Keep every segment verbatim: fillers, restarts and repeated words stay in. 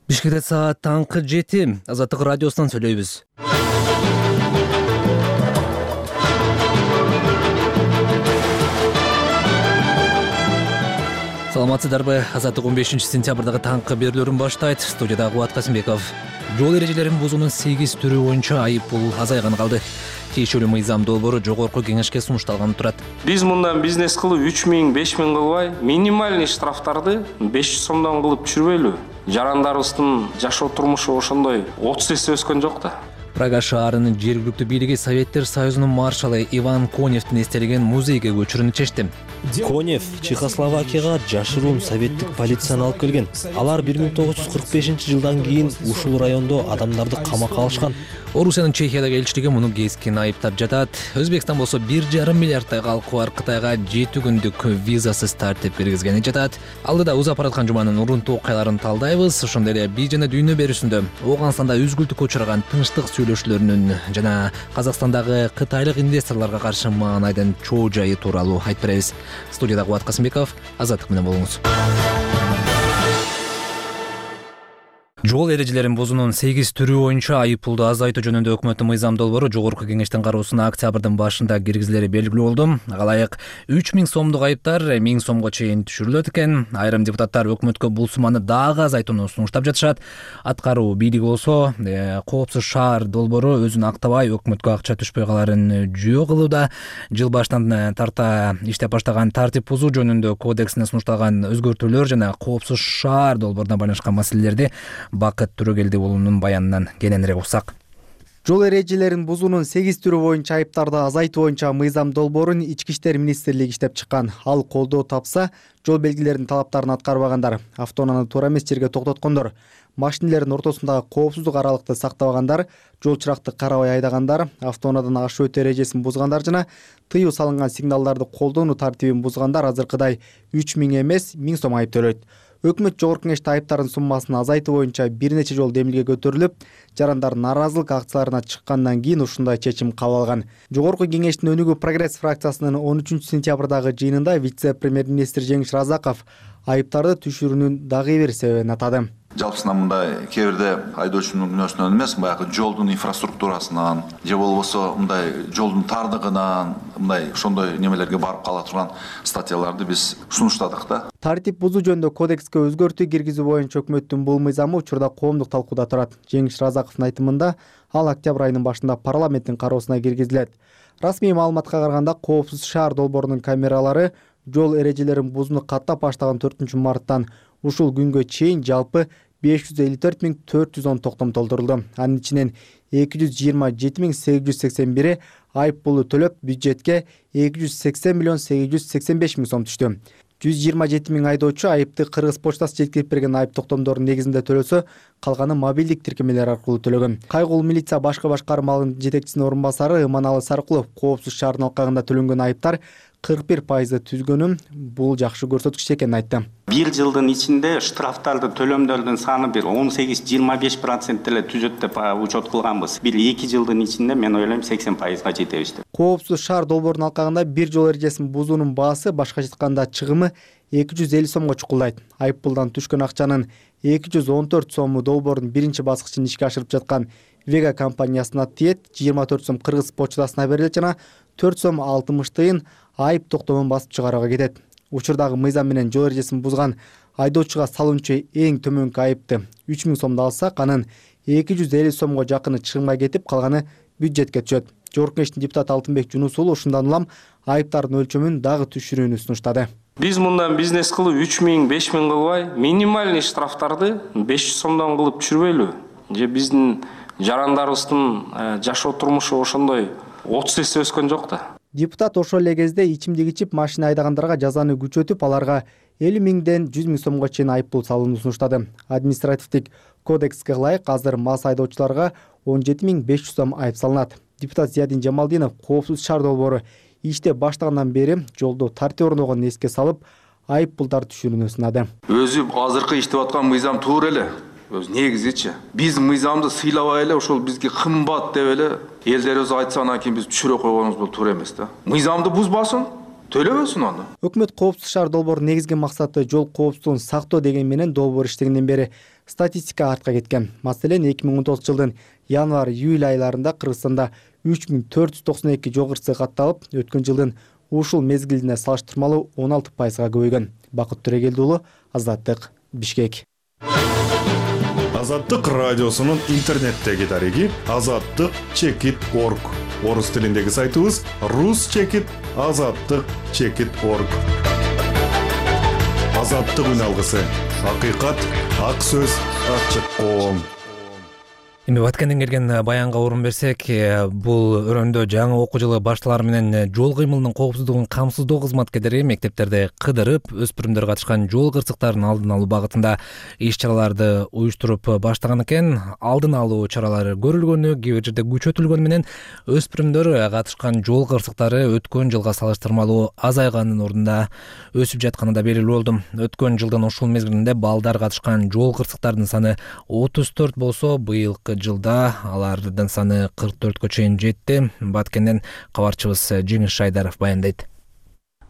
Бишкекте саат таңкы жети. Азаттык радиосунан сүйлөйбүз. Саламатсыздарбы? Азаттык он бешинчи сентябрдагы таңкы берүүлөрүн баштайт. Студияда Кубат Касымбеков. Жол эрежелерин бузуунун сегиз түрү боюнча айып пул азайган калды. Тиешелүү мыйзам долбоору жогорку кеңешке сунушталган турат. Биз мындан бизнес кылып үч миң, беш миң кылбай, минимальный штрафтарды беш жүз сомдон кылып түшүрбөйлү. Жарандарыбыздын жашоо турмушу ошондой отуз эсе өскөн жок да. Прага шаарынын жергиликтүү бийлиги Советтер Союзунун маршалы Иван Коневдин эстелеген музейге көчүрүүнү чечти. Конев Чехословакияга жашыруун советтик полицияны алып келген. Алар бир миң тогуз жүз кырк бешинчи жылдан кийин ушул райондо адамдарды камакка алышкан. Орусиянын Чехиядагы элчилиги муну кескин айыптап жатат. Өзбекстан болсо бир жарым миллиарддай калкы бар Кытайга жети күндүк визасыз тартип киргизгени жатат. Алдыда узап бараткан жуманын урунтуу окуяларын талдайбыз. Ошондой эле бий жана дүйнө берүүсүндө Ооганстанда үзгүлтүккө учураган тынчтык сүйлөшүүлөрүнүн жана Казакстандагы кытайлык инвесторлорго каршы маанайдын чоо жайы тууралуу айтып беребиз. Студияда Кубат Касымбеков, Азаттык менен болуңуз. Жол эрежелерин бузуунун сегиз түрү боюнча айып пулду азайтуу жөнүндө өкмөттүн мыйзам долбоору жогорку кеңештин кароосуна октябрдын башында киргизилери белгилүү болду. Алайык үч миң сомдук айыптар миң сомго чейин түшүрүлөт экен. Айрым депутаттар өкмөткө бул сумманы дагы азайтууну сунуштап жатышат. Аткаруу бийлиги болсо коопсуз шаар долбоору өзүн актабай өкмөткө акча түшпөй каларын жөө кылууда. Жыл башынан тарта иштеп баштаган тартип бузуу жөнүндө кодексине сунушталган өзгөртүүлөр жана коопсуз шаар долбооруна байланышкан маселелерди Бакыт Түрөгелди уулунун баянынан кененирээк уксак. Жол эрежелерин бузуунун сегиз түрү боюнча айыптарды азайтуу боюнча мыйзам долбоорун Ички иштер министрлиги иштеп чыккан. Ал колдоо тапса, жол белгилеринин талаптарын аткарбагандар, автоунааны туура эмес жерге токтоткондор, машинелердин ортосундагы коопсуздук аралыкты сактабагандар, жол чыракты карабай айдагандар, автоунаадан ашуу өтүү эрежесин бузгандар жана тыюу салынган сигналдарды колдонуу тартибин бузгандар азыркыдай үч миң эмес миң сом айып төлөйт. Өкмөт жогорку кеңеште айыптардын суммасын азайтуу боюнча бир нече жолу демилге көтөрүлүп, жарандар нааразылык акцияларына чыккандан кийин ушундай чечим кабыл алган. Жогорку кеңештин өнүгүү прогресс фракциясынын он үчүнчү сентябрдагы жыйынында вице-премьер-министр Жеңиш Разаков айыптарды түшүрүүнүн дагы бир себебин атады. Жалпысынан мындай кээ бирде айдоочунун күнөөсүнөн эмес, баягы жолдун инфраструктурасынан же болбосо мындай жолдун тардыгынан мындай ошондой немелерге барып кала турган статьяларды биз сунуштадык да. Тартип бузуу жөнүндө кодекске өзгөртүү киргизүү боюнча өкмөттүн бул мыйзамы учурда коомдук талкууда турат. Жеңиш Разаковдун айтымында ал октябрь айынын башында парламенттин кароосуна киргизилет. Расмий маалыматка караганда коопсуз шаар долбоорунун камералары жол эрежелерин бузууну каттап баштаган төртүнчү марттан ушул күнгө чейин жалпы беш жүз элүү төрт миң төрт жүз он токтом толтурулду. Анын ичинен эки жүз жыйырма жети миң сегиз жүз сексен бири айып пулу төлөп, бюджетке эки жүз сексен миллион сегиз жүз сексен беш миң сом түштү. жүз жыйырма жети миң айдоочу айыпты Кыргыз почтасы жеткирип берген айып токтомдорунун негизинде төлөсө, калганы мобилдик тиркемелер аркылуу төлөгөн. Кайгуул милиция башкы башкармалыгынын жетекчисинин орун басары Иманалы Саркулов коопсуз шаардын алкагында төлөнгөн айыптар кырк бир пайызды түзгөнүн бул жакшы көрсөткүч экенин айтты. Бир жылдын ичинде штрафтарды төлөмдөрдүн саны бир он сегиз жыйырма беш процент эле түзөт деп учет кылганбыз. Бир эки жылдын ичинде мен ойлойм сексен пайызга жетебиз деп. Коопсуз шаар долбоорунун алкагында бир жол эрежесин бузуунун баасы башкача айтканда чыгымы эки жүз элүү сомго чукулдайт. Айып пулдан түшкөн акчанын эки жүз он төрт сому долбоордун биринчи баскычын ишке ашырып жаткан Вега компаниясына тиет, жыйырма төрт сом Кыргыз почтасына берилет жана төрт сом алтымыш тыйын айып токтомун басып чыгарууга кетет. Учурдагы мыйзам менен жол эрежесин бузган айдоочуга салынчу эң төмөнкү айыпты үч миң сомду алсак, анын эки жүз элүү сомго жакыны чыгымга кетип, калганы бюджетке түшөт. Жогорку кеңештин депутаты Алтынбек Жунус уулу ушундан улам айыптардын өлчөмүн дагы түшүрүүнү сунуштады. Биз мындан бизнес кылып үч миң, беш миң кылбай, минимальный штрафтарды беш жүз сомдон кылып түшүрбөйлү. Же биздин жарандарыбыздын жашоо турмушу ошондой отуз эсе өскөн жок да. Депутат ошол эле кезде ичимдик ичип машина айдагандарга жазаны күчөтүп, аларга элүү миңден жүз миң сомго чейин айып пул салууну сунуштады. Административдик кодекске ылайык азыр мас айдоочуларга он жети миң беш жүз сом айып салынат. Депутат Зиядин Жамалдинов коопсуз шаар долбоору иштеп баштагандан бери жолдо тартип орногонун эске салып, айып пулдар түшүрүүнү сунады. Өзү азыркы иштеп аткан мыйзам туура эле. Өз негизичи. Биз мыйзамды сыйлабай эле ошол бизге кымбат деп эле элдерибиз айтса, анан кийин биз түшүрө койгонубуз бул туура эмес да. Мыйзамды бузбасын, төлөбөсүн аны. Өкмөт коопсуз шаар долбоорунун негизги максаты жол коопсуздугун сактоо деген менен долбоор иштегенден бери статистика артка кеткен. Маселен, эки миң он тогузунчу жылдын январь-июль айларында Кыргызстанда үч миң төрт жүз токсон эки жол кырсыгы катталып, өткөн жылдын ушул мезгилине салыштырмалуу он алты пайызга көбөйгөн. Бакыт Төрегелди уулу, Азаттык, Бишкек. Азаттык радиосунун интернеттеги дареги азаттык чекит точка орг. Орус тилиндеги сайтыбыз рус чекит азаттык чекит точка орг. Азаттык үн алгысы. Акыйкат, ак сөз, ачык коом. Эми Баткенден келген баянга орун берсек, бул өрөөндө жаңы окуу жылы башталары менен жол кыймылынын коопсуздугун камсыздоо кызматкерлери мектептерде кыдырып, өспүрүмдөр катышкан жол кырсыктарын алдын алуу багытында иш-чараларды уюштуруп баштаган экен. Алдын алуу чаралары көрүлгөнү, кээ бир жерде күчөтүлгөнү менен өспүрүмдөр катышкан жол кырсыктары өткөн жылга салыштырмалуу азайганын ордунда өсүп жатканы да белгилүү болду. Өткөн жылдын ушул мезгилинде балдар катышкан жол кырсыктарынын саны отуз төрт болсо, быйылкы жылда алардын саны кырк төрткө чейин жетти. Баткенден кабарчыбыз Жеңиш Шайдаров баяндайт.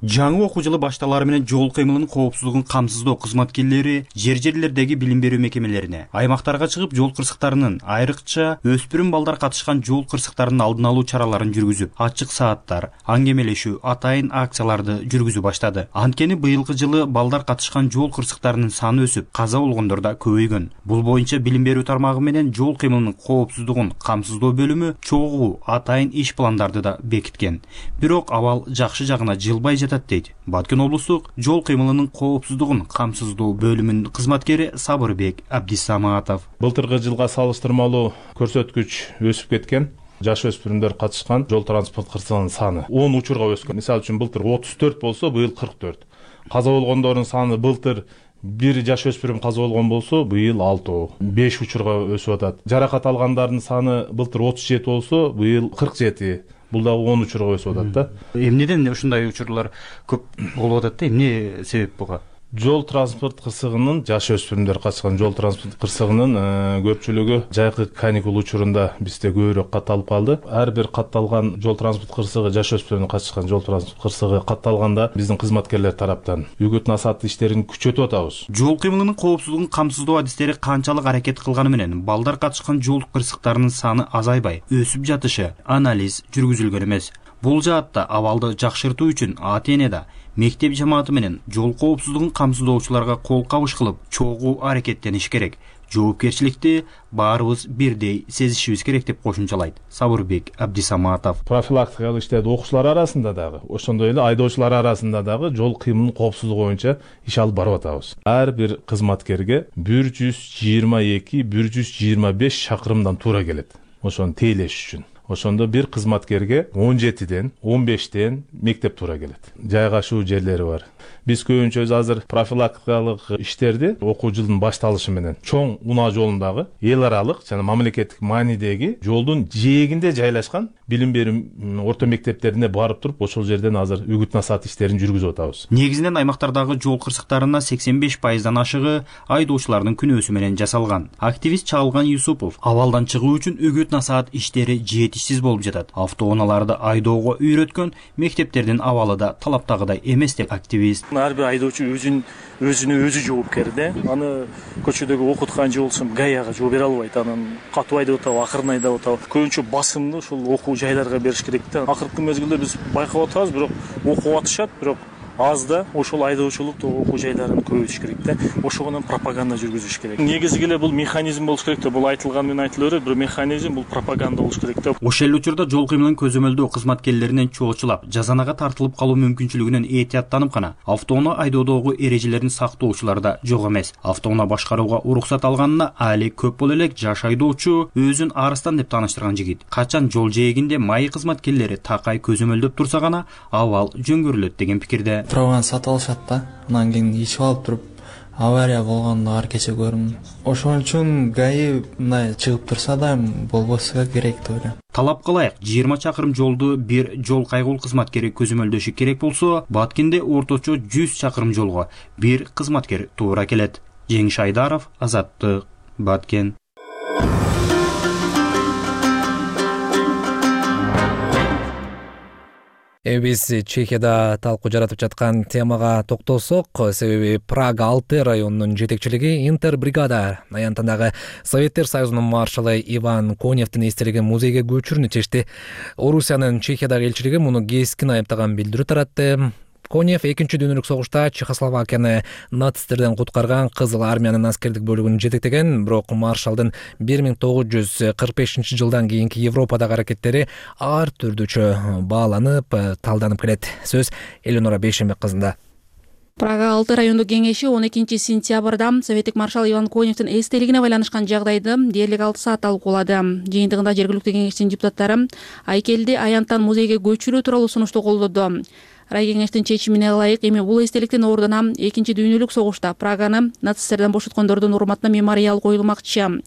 Жаңы окуу жылы башталары менен жол кыймылынын коопсуздугун камсыздоо кызматкерлери жер жерлердеги билим берүү мекемелерине, аймактарга чыгып жол кырсыктарынын, айрыкча өспүрүм балдар катышкан жол кырсыктарынын алдын алуу чараларын жүргүзүп, ачык сааттар, аңгемелешүү, атайын акцияларды жүргүзүп баштады. Анткени быйылкы жылы балдар катышкан жол кырсыктарынын саны өсүп, каза болгондор да көбөйгөн. Бул боюнча билим берүү тармагы менен жол кыймылынын коопсуздугун камсыздоо бөлүмү чогуу атайын иш пландарды да бекиткен. Бирок абал жакшы жагына жылбай жатат дейт Баткен облустук жол кыймылынын коопсуздугун камсыздоо бөлүмүнүн кызматкери Сабырбек Абдисаматов. Былтыркы жылга салыштырмалуу көрсөткүч өсүп кеткен. Жаш өспүрүмдөр катышкан жол транспорт кырсыгынын саны он учурга өскөн. Мисалы үчүн былтыр отуз төрт болсо, быйыл кырк төрт. Каза болгондордун саны былтыр бир жаш өспүрүм каза болгон болсо, быйыл алты, беш учурга өсүп атат. Жаракат алгандардын саны былтыр отуз жети болсо, быйыл кырк жети. Бул да он учурга өсүп атат да. Эмнеден ушундай учурлар көп болуп атат да? Эмне себеп буга? Жол транспорт кырсыгынын, жаш өспүрүмдөр катышкан жол транспорт кырсыгынын көпчүлүгү жайкы каникул учурунда бизде көбүрөөк катталып калды. Ар бир катталган жол транспорт кырсыгы, жаш өспүрүмдөр катышкан жол транспорт кырсыгы катталганда биздин кызматкерлер тараптан үгүт насаат иштерин күчөтүп атабыз. Жол кыймылынын коопсуздугун камсыздоо адистери канчалык аракет кылганы менен балдар катышкан жол кырсыктарынын саны азайбай, өсүп жатышы анализ жүргүзүлгөн эмес. Бул жаатта абалды жакшыртуу үчүн ата-эне да мектеп жамааты менен жол коопсуздугун камсыздоочуларга кол кабыш кылып, чогуу аракеттениш керек. Жоопкерчиликти баарыбыз бирдей сезишибиз керек деп кошумчалайт Сабырбек Абдисаматов. Профилактикалык иштерди окуучулар арасында дагы, ошондой эле айдоочулар арасында дагы жол кыймылынын коопсуздугу боюнча иш алып барып атабыз. Ар бир кызматкерге бир жүз жыйырма эки бир жүз жыйырма беш чакырымдан туура келет. Ошону тейлеш үчүн. Ошондо бир кызматкерге он жетиден он бештен мектеп туура келет. Жайгашуу жерлери бар. Биз көбүнчө азыр профилактикалык иштерди окуу жылдын башталышы менен чоң унаа жолундагы эл аралык жана мамлекеттик маанидеги жолдун жээгинде жайлашкан билим берүү орто мектептерине барып туруп, ошол жерден азыр үгүт насаат иштерин жүргүзүп атабыз. Негизинен аймактардагы жол кырсыктарына сексен беш пайыздан ашыгы айдоочулардын күнөөсү менен жасалган. Активист Чалган Юсупов абалдан чыгуу үчүн үгүт насаат иштери жетишсиз болуп жатат. Автоунааларды айдоого үйрөткөн мектептердин абалы да талаптагыдай эмес деп активист. Ар бир айдоочу өзүн өзүнө өзү жоопкер да. Аны көчөдөгү окуткан же болсун гаяга жооп бере албайт. Анан катуу айдап атабы, акырын айдап атабы. Көбүнчө басымды ушул окуу жайларга бериш керек да. Акыркы мезгилде биз байкап атабыз, бирок окуп атышат, бирок аз да. Ошол айдоочулук окуу жайларын көбөйтүш керек да. Ошого менен пропаганда жүргүзүш керек. Негизи эле бул механизм болуш керек да. Бул айтылган менен айтыла берет, бир механизм, бул пропаганда болуш керек да. Ошол эле учурда жол кыймылынын көзөмөлдөө кызматкерлеринен чоочулап, жазанага тартылып калуу мүмкүнчүлүгүнөн этияттанып гана автоунаа айдоодогу эрежелерин сактоочулар да жок эмес. Автоунаа башкарууга уруксат алганына али көп боло элек жаш айдоочу өзүн арыстан деп тааныштырган жигит. Качан жол жээгинде майы кызматкерлери такай көзөмөлдөп турса гана абал жөнгөрүлөт деген пикирде. Праваны сатып алышат да. Анан кийин ичип алып туруп авария болгондо ар кече көрүм. Ошон үчүн ГАИ мындай чыгып турса да болбосо керек деп ойлойм. Талап кылайык, жыйырма чакырым жолду бир жол кайгул кызматкери көзөмөлдөшү керек болсо, Баткенде орточо жүз чакырым жолго бир кызматкер туура келет. Жеңиш Айдаров, Азаттык, Баткен. Биз Чехияда талкуу жаратып жаткан темага токтолсок, себеби Прага алты районунун жетекчилиги Интербригада аянтындагы Советтер Союзунун маршалы Иван Коневдин эстелигин музейге көчүрүүнү чечти. Орусиянын Чехиядагы элчилиги муну кескин айыптаган билдирүү таратты. Конев экинчи дүйнөлүк согушта Чехословакияны нацисттерден куткарган Кызыл армиянын аскердик бөлүгүн жетектеген, бирок маршалдын бир миң тогуз жүз кырк бешинчи жылдан кийинки Европадагы аракеттери ар түрдүүчө бааланып, талданып келет. Сөз Эленора Бейшембек кызында. Прага алты райондук кеңеши он экинчи сентябрда советтик маршал Иван Коневдин эстелигине байланышкан жагдайды дээрлик алты саат талкуулады. Жыйынтыгында жергиликтүү кеңештин депутаттары айкелди аянттан музейге көчүрүү тууралуу сунушту колдоду. Рай кеңештин чечимине ылайык эми бул эстеликтин ордуна экинчи дүйнөлүк согушта Праганы нацисттерден бошоткондордун урматына мемориал коюлмакчы.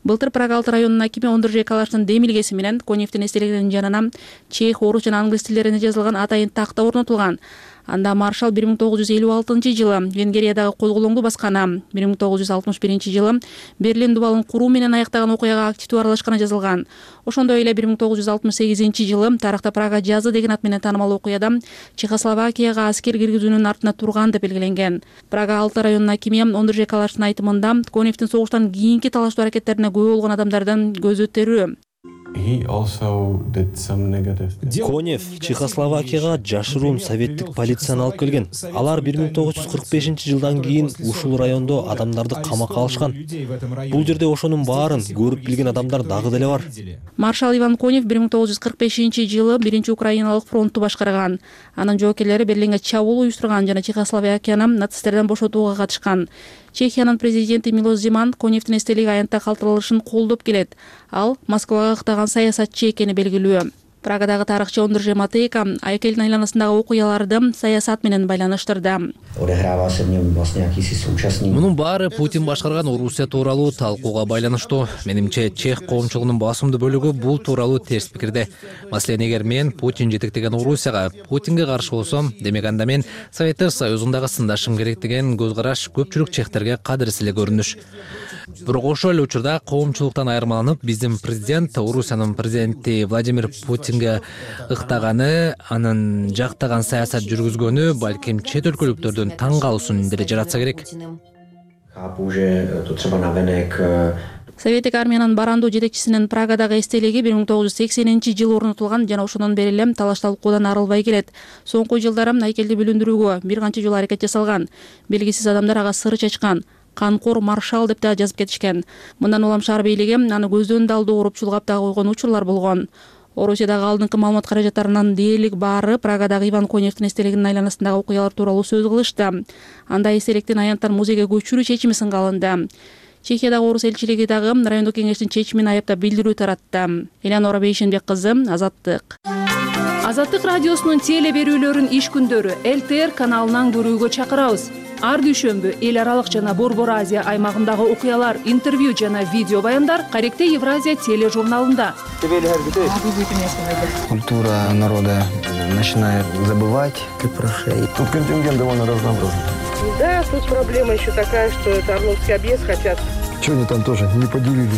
Былтыр Прага алты районунун акими Ондуржей Калаштын демилгеси менен Коневдин эстелигинин жанына чех, орус жана англис тилдерине жазылган атайын такта орнотулган. Анда маршал бир миң тогуз жүз элүү алтынчы жылы Венгриядагы козголоңду басканы, бир миң тогуз жүз алтымыш биринчи жылы Берлин дубалын куруу менен аяктаган окуяга активдүү аралашканы жазылган. Ошондой эле бир миң тогуз жүз алтымыш сегизинчи жылы тарыхта Прага жазы деген ат менен таанымал окуяда Чехословакияга аскер киргизүүнүн артында турган деп белгиленген. Прага алты районунун акими Ондуржей Калаштын айтымында Коневдин согуштан кийинки талаштуу аракеттерине күбө болгон адамдардын көзү терүү. Конев Чехословакияга жашыруун советтик полицияны алып келген. Алар бир миң тогуз жүз кырк бешинчи жылдан кийин ушул райондо адамдарды камакка алышкан. Бул жерде ошонун баарын көрүп билген адамдар дагы деле бар. Маршал Иван Конев бир миң тогуз жүз кырк бешинчи жылы биринчи Украиналык фронтту башкарган. Анын жоокерлери Берлинге чабуул уюштурган жана Чехословакияны нацисттерден бошотууга катышкан. Чехиянын президенти Милош Земан Коневдин эстелиги аянтта калтырылышын колдоп келет. Ал Москвага ыктаган саясатчы экени белгилүү. Прагадагы тарыхчы Ондуржей Матейка айкелдин айланасындагы окуяларды саясат менен байланыштырды. Мунун баары Путин башкарган Орусия тууралуу талкууга байланыштуу. Менимче, чех коомчулугунун басымдуу бөлүгү бул тууралуу терс пикирде. Маселен, эгер мен Путин жетектеген Орусияга Путинге каршы болсом, демек анда мен Советтер Союзундагы сындашым керек деген көз караш көпчүлүк чехтерге кадырсыз эле көрүнүш. Бирок ошол эле учурда коомчулуктан айырмаланып, биздин президент Орусиянын президенти Владимир Путинге ыктаганы, анын жактаган саясат жүргүзгөнү балким чет өлкөлүктөрдүн таң калуусун деле жаратса керек. Советтик армиянын барандуу жетекчисинин Прагадагы эстелиги бир миң тогуз жүз сексенинчи жылы орнотулган жана ошондон бери эле талаш талкуудан арылбай келет. Соңку жылдары айкелди бүлүндүрүүгө бир канча жолу аракет жасалган. Белгисиз адамдар ага сыр чачкан. Канкор маршал деп да жазып кетишкен. Мындан улам шаар бийлиги аны көздөн да алдоо уруп чулгап да койгон учурлар болгон. Орусиядагы алдыңкы маалымат каражаттарынын дээрлик баары Прагадагы Иван Коневдин эстелигинин айланасындагы окуялар тууралуу сөз кылышты. Анда эстеликтин аянттан музейге көчүрүү чечими сынга алынды. Чехиядагы орус элчилиги дагы райондук кеңештин чечимин аяптап билдирүү таратты. Эленора Бейшенбек кызы, Азаттык. Азаттык радиосунун теле берүүлөрүн иш күндөрү Эл Т Р каналынан көрүүгө чакырабыз. Ар дүйшөмбү эл аралык жана Борбор Азия аймагындагы окуялар, интервью жана видео баяндар Каректе Евразия тележурналында. Культура народа начинает забывать. Тут контингент довольно разнообразный. Да, тут проблема еще такая, что это Орловский объезд хотят. Что они там тоже не поделили?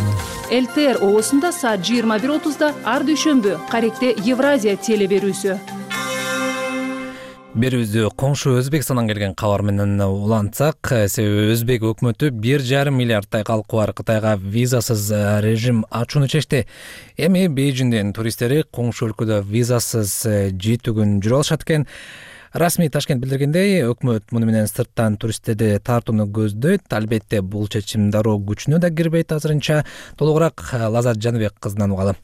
Эл Т Р оосунда саат жыйырма бир отузда ар дүйшөмбү Каректе Евразия теле берүүсү. Берүүбүздү коңшу Өзбекстандан келген кабар менен улантсак, себеби Өзбек өкмөтү бир жарым миллиардтай калкы бар Кытайга визасыз режим ачууну чечти. Эми Бейжиңдин туристтери коңшу өлкөдө визасыз жети күн жүрө алышат экен. Расмий Ташкент билдиргендей, өкмөт муну менен сырттан туристтерди тартууну көздөйт. Албетте, бул чечим дароо күчүнө да кирбейт азырынча. Толугураак Лазат Жаныбек кызынан угалы.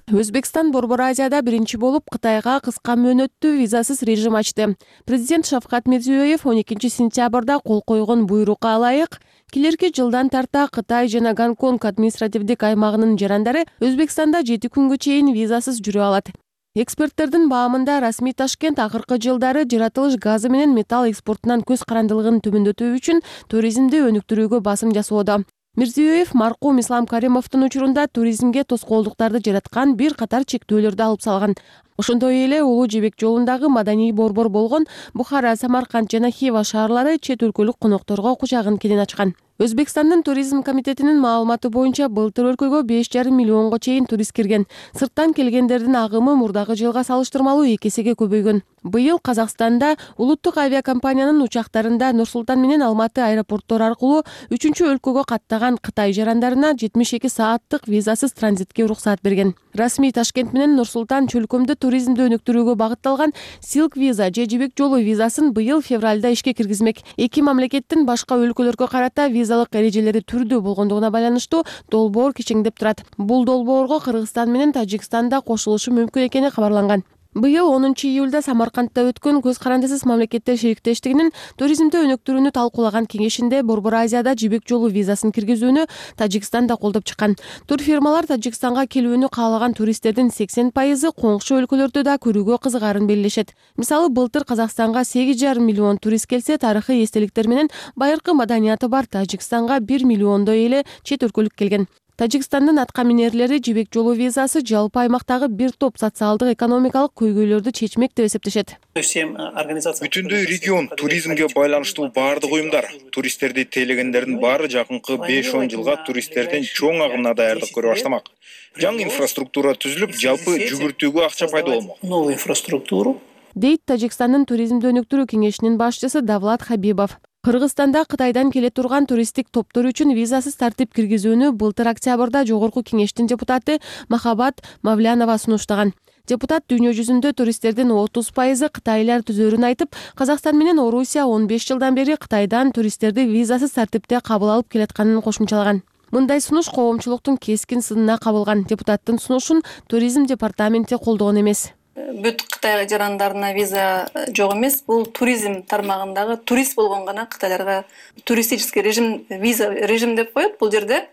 Өзбекстан Борбор Азияда биринчи болуп Кытайга кыска мөөнөттүү визасыз режим ачты. Президент Шавкат Мирзиёев он экинчи сентябрда кол койгон буйрукка ылайык келерки жылдан тарта Кытай жана Гонконг административдик аймагынын жарандары Өзбекстанда жети күнгө чейин визасыз жүрө алат. Эксперттердин баамында Расмий Ташкент акыркы жылдары жаратылыш газы менен металл экспортунан көз карандылыгын төмөндөтүү үчүн туризмди өнүктүрүүгө басым жасоодо. Мирзиёев маркум Ислам Каримовдун учурунда туризмге тоскоолдуктарды жараткан бир катар чектөөлөрдү алып салган. Ошондой эле Улуу Жебек жолундагы маданий борбор болгон Бухара, Самарканд жана Хива шаарлары чет өлкөлүк конокторго кучагын кенен ачкан. Өзбекстандын туризм комитетинин маалыматы боюнча былтыр өлкөгө беш жарым миллионго чейин турист кирген. Сырттан келгендердин агымы мурдагы жылга салыштырмалуу эки эсеге көбөйгөн. Быйыл Казакстанда улуттук авиакомпаниянын учактарында Нур-Султан менен Алматы аэропорттору аркылуу үчүнчү өлкөгө каттаган Кытай жарандарына жетимиш эки сааттык визасыз транзитке уруксаат берген. Расмий Ташкент менен Нур-Султан чөлкөмдө туризмди өнүктүрүүгө багытталган Silk виза же жибек жолу визасын быйыл февралда ишке киргизмек. Эки мамлекеттин башка өлкөлөргө карата визалык эрежелери түрдүү болгондугуна байланыштуу долбоор кичиңдеп турат. Бул долбоорго Кыргызстан менен Тажикстан да кошулушу мүмкүн экени кабарланган. Быйыл онунчу июлда Самаркандта өткөн көз карандысыз мамлекеттер шериктештигинин туризмди өнүктүрүүнү талкуулаган кеңешинде Борбор Азияда жибек жолу визасын киргизүүнү Тажикстан да колдоп чыккан. Турфирмалар Тажикстанга келүүнү каалаган туристтердин сексен пайызы коңшу өлкөлөрдө да көрүүгө кызыгаарын белгилешет. Мисалы, былтыр Казакстанга сегиз жарым миллион турист келсе, тарыхый эстеликтер менен байыркы маданияты бар Тажикстанга бир миллиондой эле чет өлкөлүк келген. Тажикстандын атка минерлери жибек жолу визасы жалпы аймактагы бир топ социалдык экономикалык көйгөйлөрдү чечмек деп эсептешет. Бүтүндөй регион туризмге байланыштуу баардык уюмдар туристтерди тейлегендердин баары жакынкы беш он жылга туристтердин чоң агымына даярдык көрө баштамак. Жаңы инфраструктура түзүлүп, жалпы жүгүртүүгө акча пайда болмок. Новую инфраструктуру дейт Тажикстандын туризмди өнүктүрүү кеңешинин башчысы Давлат Хабибов. Кыргызстанда Кытайдан келе турган туристтик топтор үчүн визасыз тартип киргизүүнү былтыр октябрда Жогорку кеңештин депутаты Махабат Мавлянова сунуштаган. Депутат дүйнө жүзүндө туристтердин отуз пайызы кытайлар түзөрүн айтып, Казакстан менен Орусия он беш жылдан бери Кытайдан туристтерди визасыз тартипте кабыл алып келатканын кошумчалаган. Мындай сунуш коомчулуктун кескин сынына кабылган. Депутаттын сунушун туризм департаменти колдогон эмес. Бүт Кытай жарандарына виза жок эмес. Бул туризм тармагындагы турист болгон гана кытайларга туристический режим, виза режим деп коет. Бул жерде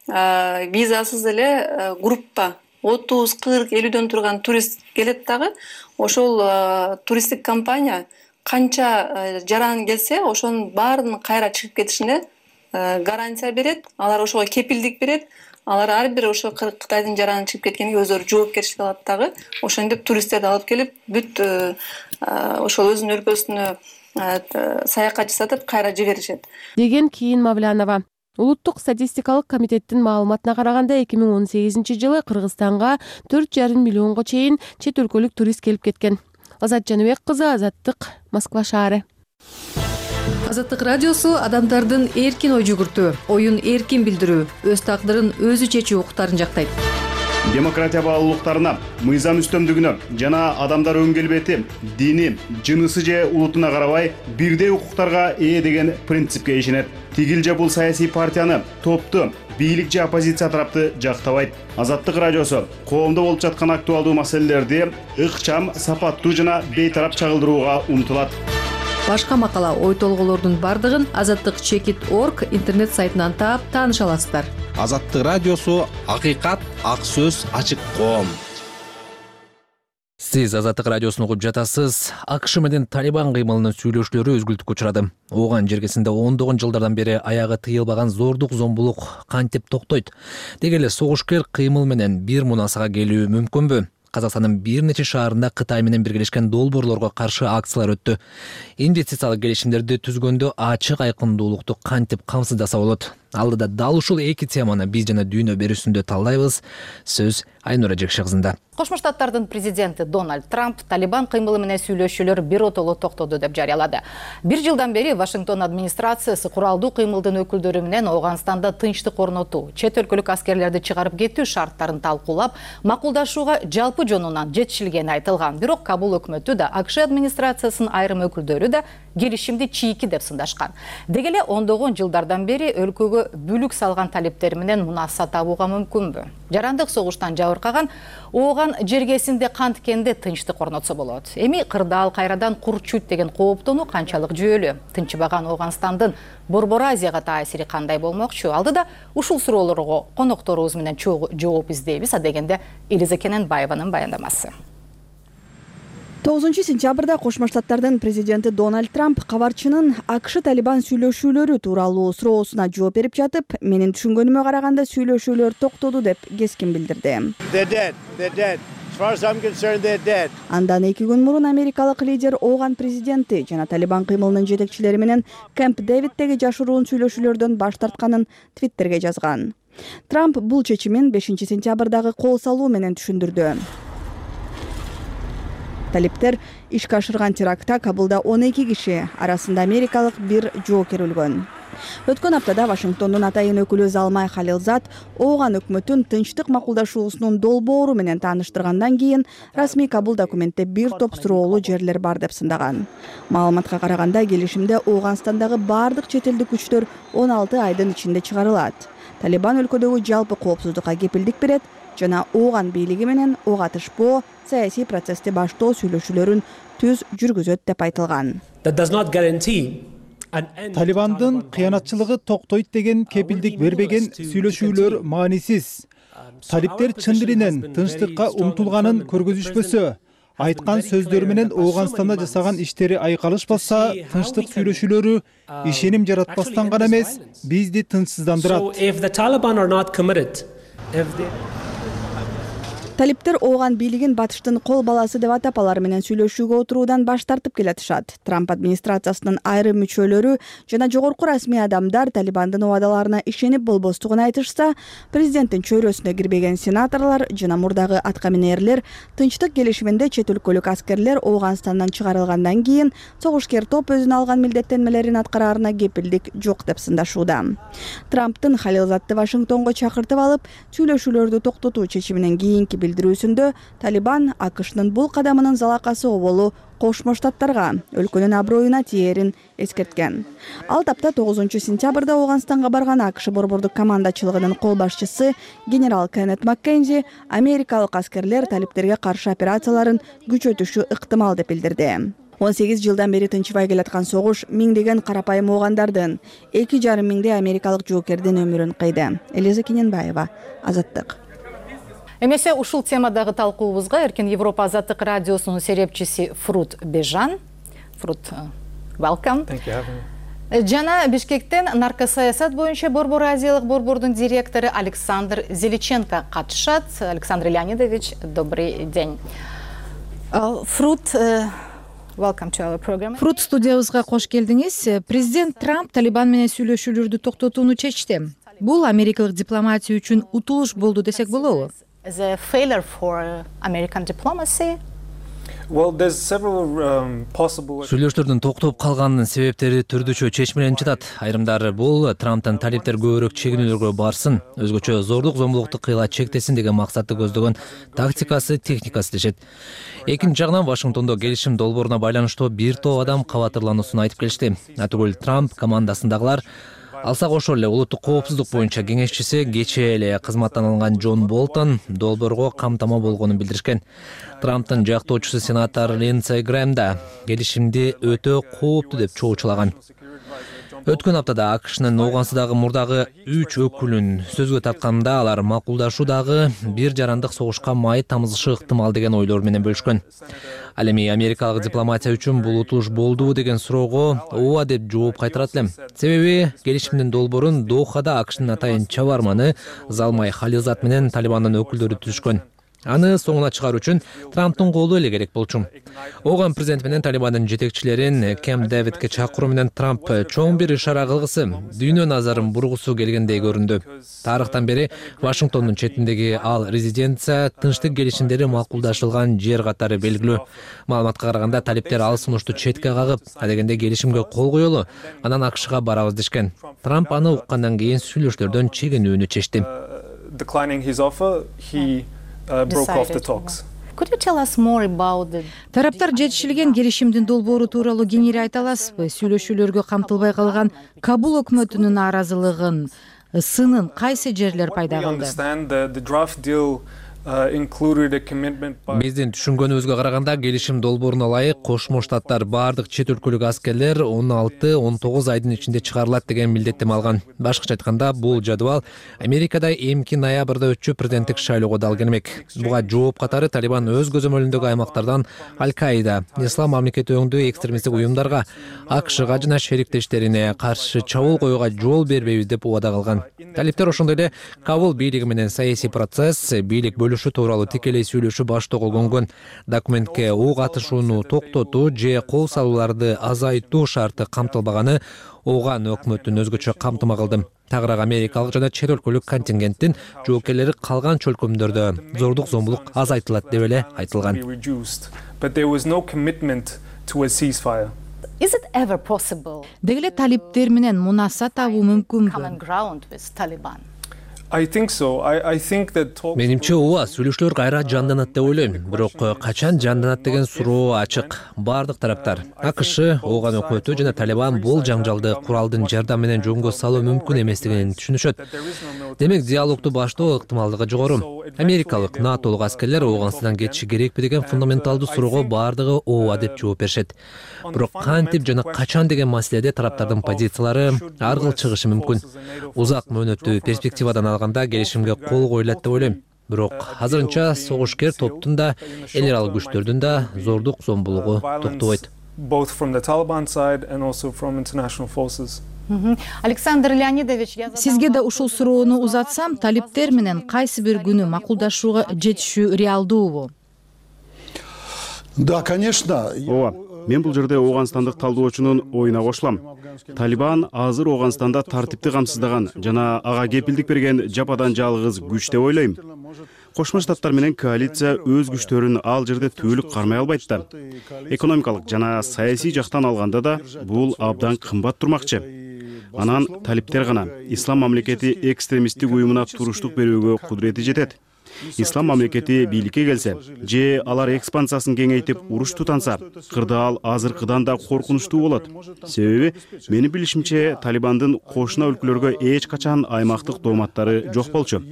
визасыз эле группа отуз, кырк, элүүдөн турган турист келет дагы. Ошол туристтик компания канча жаран келсе, ошонун баарынын кайра чыгып кетишине гарантия берет. Алар ошого кепилдик берет. Алар ар бир ошо Кытайдын жараны чыгып кеткениге өздөрү жоопкерчилик алат дагы. Ошентип туристтерди алып келип, бүт ошол өзүнүн өлкөсүнө саякат жасатып кайра жиберишет. Деген кийин Мавлянова. Улуттук статистикалык комитеттин маалыматына караганда эки миң он сегизинчи жылы Кыргызстанга төрт жарым миллионго чейин чет өлкөлүк турист келип кеткен. Азат Жаныбек кызы, Азаттык, Москва шаары. Азаттык радиосу адамдардын эркин ой жүгүртүү, оюн эркин билдирүү, өз тагдырын өзү чечүү укуктарын жактайт. Демократия баалуулуктарына, мыйзам үстөмдүгүнө жана адамдар өн келбети, дини, жынысы же улутуна карабай бирдей укуктарга ээ деген принципке ишенет. Тигил же бул саясий партияны, топту, бийлик же оппозиция тарапты жактабайт. Азаттык радиосу коомдо болуп жаткан актуалдуу маселелерди ыкчам, сапаттуу жана бейтарап чагылдырууга умтулат. Башка макала, ой толголордун бардыгын азаттык чекит точка орг интернет сайтынан таап тааныша аласыздар. Азаттык радиосу акыйкат, ак сөз, ачык коом. Сиз Азаттык радиосун угуп жатасыз. АКШ менен Талибан кыймылынын сүйлөшүүлөрү өзгүлтүккө учурады. Ооган жергесинде ондогон жылдардан бери аягы тыйылбаган зордук, зомбулук кантип токтойт? Деги эле согушкер кыймыл менен бир мунасага келүү мүмкүнбү? Казакстандын бир нече шаарында Кытай менен биргелешкен долбоорлорго каршы акциялар өттү. Инвестициялык келишимдерди түзгөндө ачык айкындуулукту кантип камсыздаса болот? Алдыда дал ушул эки теманы биз жана дүйнө берүүсүндө талдайбыз. Сөз Айнура Жекше кызында. Кошмо Штаттардын президенти Дональд Трамп Талибан кыймылы менен сүйлөшүүлөр биротоло токтоду деп жарыялады. Бир жылдан бери Вашингтон администрациясы куралдуу кыймылдын өкүлдөрү менен Ооганстанда тынчтык орнотуу, чет өлкөлүк аскерлерди чыгарып кетүү шарттарын талкуулап, макулдашууга жалпы жонунан жетишилгени айтылган. Бирок Кабул өкмөтү да, АКШ администрациясынын айрым өкүлдөрү да келишимди чийки деп сындашкан. Деги эле ондогон жылдардан бери өлкөгө бүлүк салган талиптер менен мунаса табууга мүмкүнбү? Жарандык согуштан жабыркаган Ооган жергесинде канткенде тынчтык орнотсо болот. Эми кырдаал кайрадан курчуйт деген кооптонуу канчалык жүйөлүү? Тынчыбаган Ооганстандын Борбор Азияга таасири кандай болмокчу? Алдыда ушул суроолорго конокторубуз менен жооп издейбиз. Адегенде Элиза Кененбаеванын баяндамасы. тогузунчу сентябрда Кошмо Штаттардын президенти Дональд Трамп кабарчынын АКШ Талибан сүйлөшүүлөрү тууралуу суроосуна жооп берип жатып, менин түшүнгөнүмө караганда сүйлөшүүлөр токтоду деп кескин билдирди. Андан эки күн мурун америкалык лидер Ооган президенти жана Талибан кыймылынын жетекчилери менен Кэмп Дэвиддеги жашыруун сүйлөшүүлөрдөн баш тартканын Твиттерге жазган. Трамп бул чечимин бешинчи сентябрдагы кол салуу менен түшүндүрдү. Талиптер ишке ашырган терактта Кабулда он эки киши, арасында америкалык бир жоокер өлгөн. Өткөн аптада Вашингтондун атайын өкүлү Залмай Халилзад Ооган өкмөтүн тынчтык макулдашуусунун долбоору менен тааныштыргандан кийин расмий Кабул документте бир топ суроолуу жерлер бар деп сындаган. Маалыматка караганда келишимде Ооганстандагы бардык чет элдик күчтөр он алты айдын ичинде чыгарылат. Талибан өлкөдөгү жалпы коопсуздукка кепилдик берет жана Ооган бийлиги менен ок атышпоо, саясий процессти баштоо сүйлөшүүлөрүн түз жүргүзөт деп айтылган. Талибандын кыянатчылыгы токтойт деген кепилдик бербеген сүйлөшүүлөр маанисиз. Талиптер чын дилинен тынчтыкка умтулганын көргөзүшпөсө, айткан сөздөрү менен Ооганстанда жасаган иштери айкалышпаса, тынчтык сүйлөшүүлөрү ишеним жаратпастан гана эмес, бизди тынчсыздандырат. Талиптер Ооган бийлигин батыштын кол баласы деп атап алар менен сүйлөшүүгө отуруудан баш тартып келатышат. Трамп администрациясынын айрым мүчөлөрү жана жогорку расмий адамдар Талибандын убадаларына ишенип болбостугун айтышса, президенттин чөйрөсүнө кирбеген сенаторлор жана мурдагы аткаминерлер тынчтык келишиминде чет өлкөлүк аскерлер Ооганстандан чыгарылгандан кийин согушкер топ өзүнө алган милдеттенмелерин аткараарына кепилдик жок деп сындашууда. Трамптын Халилзадды Вашингтонго чакыртып алып, сүйлөшүүлөрдү токтотуу чечиминен кийинки билдирүүсүндө Талибан АКШнын бул кадамынын залакасы оболу Кошмо Штаттарга, өлкөнүн аброюна тиерин эскерткен. Ал тапта тогузунчу сентябрда Ооганстанга барган АКШ борбордук командачылыгынын кол башчысы генерал Кеннет Маккензи америкалык аскерлер талиптерге каршы операцияларын күчөтүшү ыктымал деп билдирди. он сегиз жылдан бери тынчыбай келаткан согуш миңдеген карапайым оогандардын, эки жарым миңдей америкалык жоокердин өмүрүн кыйды. Элиза Кененбаева, Азаттык. Эмесе ушул темадагы талкуубузга Эркин Европа Азаттык радиосунун серепчиси Фрут Бежан. Фрут, welcome. Thank you for having me. Жана Бишкектен наркосаясат боюнча Борбор Азиялык борбордун директору Александр Зеличенко катышат. Александр Леонидович, добрый день. Фрут, welcome to our program. Фрут, студиябызга кош келдиңиз. Президент Трамп Талибан менен сүйлөшүүлөрдү токтотууну чечти. Бул америкалык дипломатия үчүн утулуш болду десек болобу? As a failure for American diplomacy. Well, there's several um, possible. Сүйлөшүүлөрдүн токтоп калганынын себептери түрдүчө чечмеленип жатат. Айрымдары бул Трамптын талиптер көбүрөөк чегинүүлөргө барсын, өзгөчө зордук зомбулукту кыйла чектесин деген максатты көздөгөн тактикасы, техникасы дешет. Экинчи жагынан Вашингтондо келишим долбооруна байланыштуу бир топ адам кабатырлануусун айтып келишти. Атүгүл Трамп командасындагылар алса кошо эле улуттук коопсуздук боюнча кеңешчиси кечээ эле кызматтан алынган Джон Болтон долбоорго камтама болгонун билдиришкен. Трамптын жактоочусу сенатор Линдсей Грэм да келишимди өтө кооптуу деп чоочулаган. Өткөн аптада АКШнын Ооганстандагы мурдагы үч өкүлүн сөзгө тартканда алар макулдашуу дагы бир жарандык согушка май тамызышы ыктымал деген ойлор менен бөлүшкөн. Ал эми америкалык дипломатия үчүн бул утулуш болдубу деген суроого ооба деп жооп кайтарат элем. Себеби келишимдин долбоорун Дохада АКШнын атайын чабарманы Залмай Халилзад менен Талибандын өкүлдөрү түзүшкөн. Аны соңуна чыгаруу үчүн Трамптын колу эле керек болчу. Ооган президент менен Талибандын жетекчилерин Кэмп Дэвидке чакыруу менен Трамп чоң бир ишара кылгысы, дүйнө назарын бургусу келгендей көрүндү. Тарыхтан бери Вашингтондун четиндеги ал резиденция тынчтык келишимдери макулдашылган жер катары белгилүү. Маалыматка караганда талиптер ал сунушту четке кагып, адегенде келишимге кол коелу, анан АКШга барабыз дешкен. Трамп аны уккандан кийин сүйлөшүүлөрдөн чегинүүнү чечти. Declining his offer, he uh, broke off the talks. Could you tell us more about the... Тараптар жетишилген келишимдин долбоору тууралуу кеңири айта аласызбы? Сүйлөшүүлөргө камтылбай калган Кабул өкмөтүнүн нааразылыгын, сынын кайсы жерлер пайда кылды? Биздин түшүнгөнүбүзгө караганда келишим долбооруна ылайык Кошмо Штаттар бардык чет өлкөлүк аскерлер он алты он тогуз айдын ичинде чыгарылат деген милдеттеме алган. Башкача айтканда, бул жадыбал Америкада эмки ноябрда өтчү президенттик шайлоого дал келмек. Буга жооп катары Талибан өз көзөмөлүндөгү аймактардан Аль-Каида, Ислам мамлекети өңдүү экстремисттик уюмдарга, АКШга жана шериктештерине каршы чабуул коюуга жол бербейбиз деп убада кылган. Талиптер ошондой эле Кабул бийлиги менен саясий процесс, бийлик бөлүнүп сүйлөшүү тууралуу тикелей сүйлөшүү баштоого конгон. Документке ок атышууну токтотуу же кол салууларды азайтуу шарты камтылбаганы Ооган өкмөттүн өзгөчө камтыма кылды. Тагыраак америкалык жана чет өлкөлүк контингенттин жоокерлери калган чөлкөмдөрдө зордук зомбулук азайтылат деп эле айтылган. Деги эле талиптер менен мунаса табуу мүмкүнбү? Менимче ооба, сүйлөшүүлөр кайра жанданат деп ойлойм. Бирок качан жанданат деген суроо ачык. Бардык тараптар, АКШ, Ооган өкмөтү жана Талибан бул жаңжалды куралдын жардамы менен жөнгө салуу мүмкүн эместигин түшүнүшөт. Демек диалогду баштоо ыктымалдыгы жогору. Америкалык, натолук аскерлер Ооганстандан кетиши керекпи деген фундаменталдуу суроого бардыгы ооба деп жооп беришет. Бирок кантип жана качан деген маселеде тараптардын позициялары ар кыл чыгышы мүмкүн. Узак мөөнөттүү перспективадан алганда келишимге кол коюлат деп ойлойм. Бирок азырынча согушкер топтун да, эл аралык күчтөрдүн да зордук зомбулугу токтобойт. Александр Леонидович, сизге да ушул суроону узатсам, талиптер менен кайсы бир күнү макулдашууга жетишүү реалдуубу? Да, конечно. Ооба, мен бул жерде Ооганстандык талдоочунун оюна кошулам. Талибан азыр Ооганстанда тартипти камсыздаган жана ага кепилдик берген жападан жалгыз күч деп ойлойм. Кошмо Штаттар менен коалиция өз күчтөрүн ал жерде түбөлүк кармай албайт да. Экономикалык жана саясий жактан алганда да бул абдан кымбат турмакчы. Анан талиптер гана Ислам мамлекети экстремисттик уюмуна туруштук берүүгө кудурети жетет. Ислам мамлекети бийликке келсе, же алар экспансиясын кеңейтип уруш тутанса, кырдаал азыркыдан да коркунучтуу болот. Себеби менин билишимче Талибандын кошуна өлкөлөргө эч качан аймактык дооматтары жок болчу.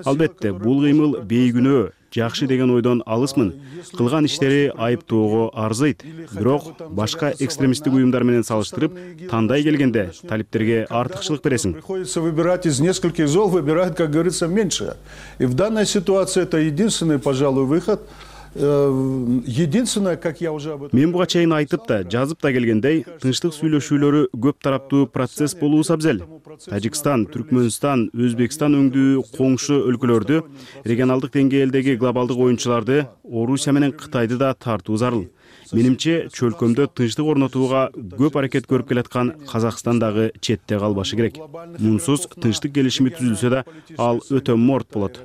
Албетте, бул кыймыл бейгүнөө, жакшы деген ойдон алысмын. Кылган иштери айыптоого арзыйт. Бирок башка экстремисттик уюмдар менен салыштырып, тандай келгенде талиптерге артыкчылык бересиң. Приходится выбирать из нескольких зол, выбирают, как говорится, меньше. И в данной ситуации это единственный, пожалуй, выход. Единственное, как я уже об этом... Мен буга чейин айтып да, жазып да келгендей, тынчтык сүйлөшүүлөрү көп тараптуу процесс болуу абзел. Тажикстан, Түркмөнстан, Өзбекстан өңдүү коңшу өлкөлөрдү, регионалдык деңгээлдеги глобалдык оюнчуларды, Орусия менен Кытайды да тартуу зарыл. Менимче, чөлкөмдө тынчтык орнотууга көп аракет көрүп келаткан Казакстан дагы четте калбашы керек. Мунсуз тынчтык келишими түзүлсө да, ал өтө морт болот.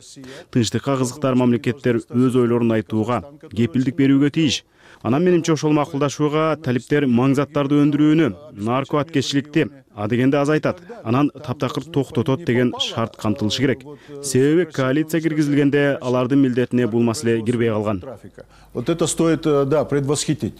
Тынчтыкка кызыктар мамлекеттер өз ойлорун айтууга, кепилдик берүүгө тийиш. Анан менимче ошол макулдашууга талиптер маңзаттарды өндүрүүнү, нарко аткеччиликти, адегенде азайтат, анан таптакыр токтотот деген шарт камтылышы керек. Себеби коалиция киргизилгенде алардын милдетине бул маселе кирбей калган. Вот это стоит, да, предвосхитить.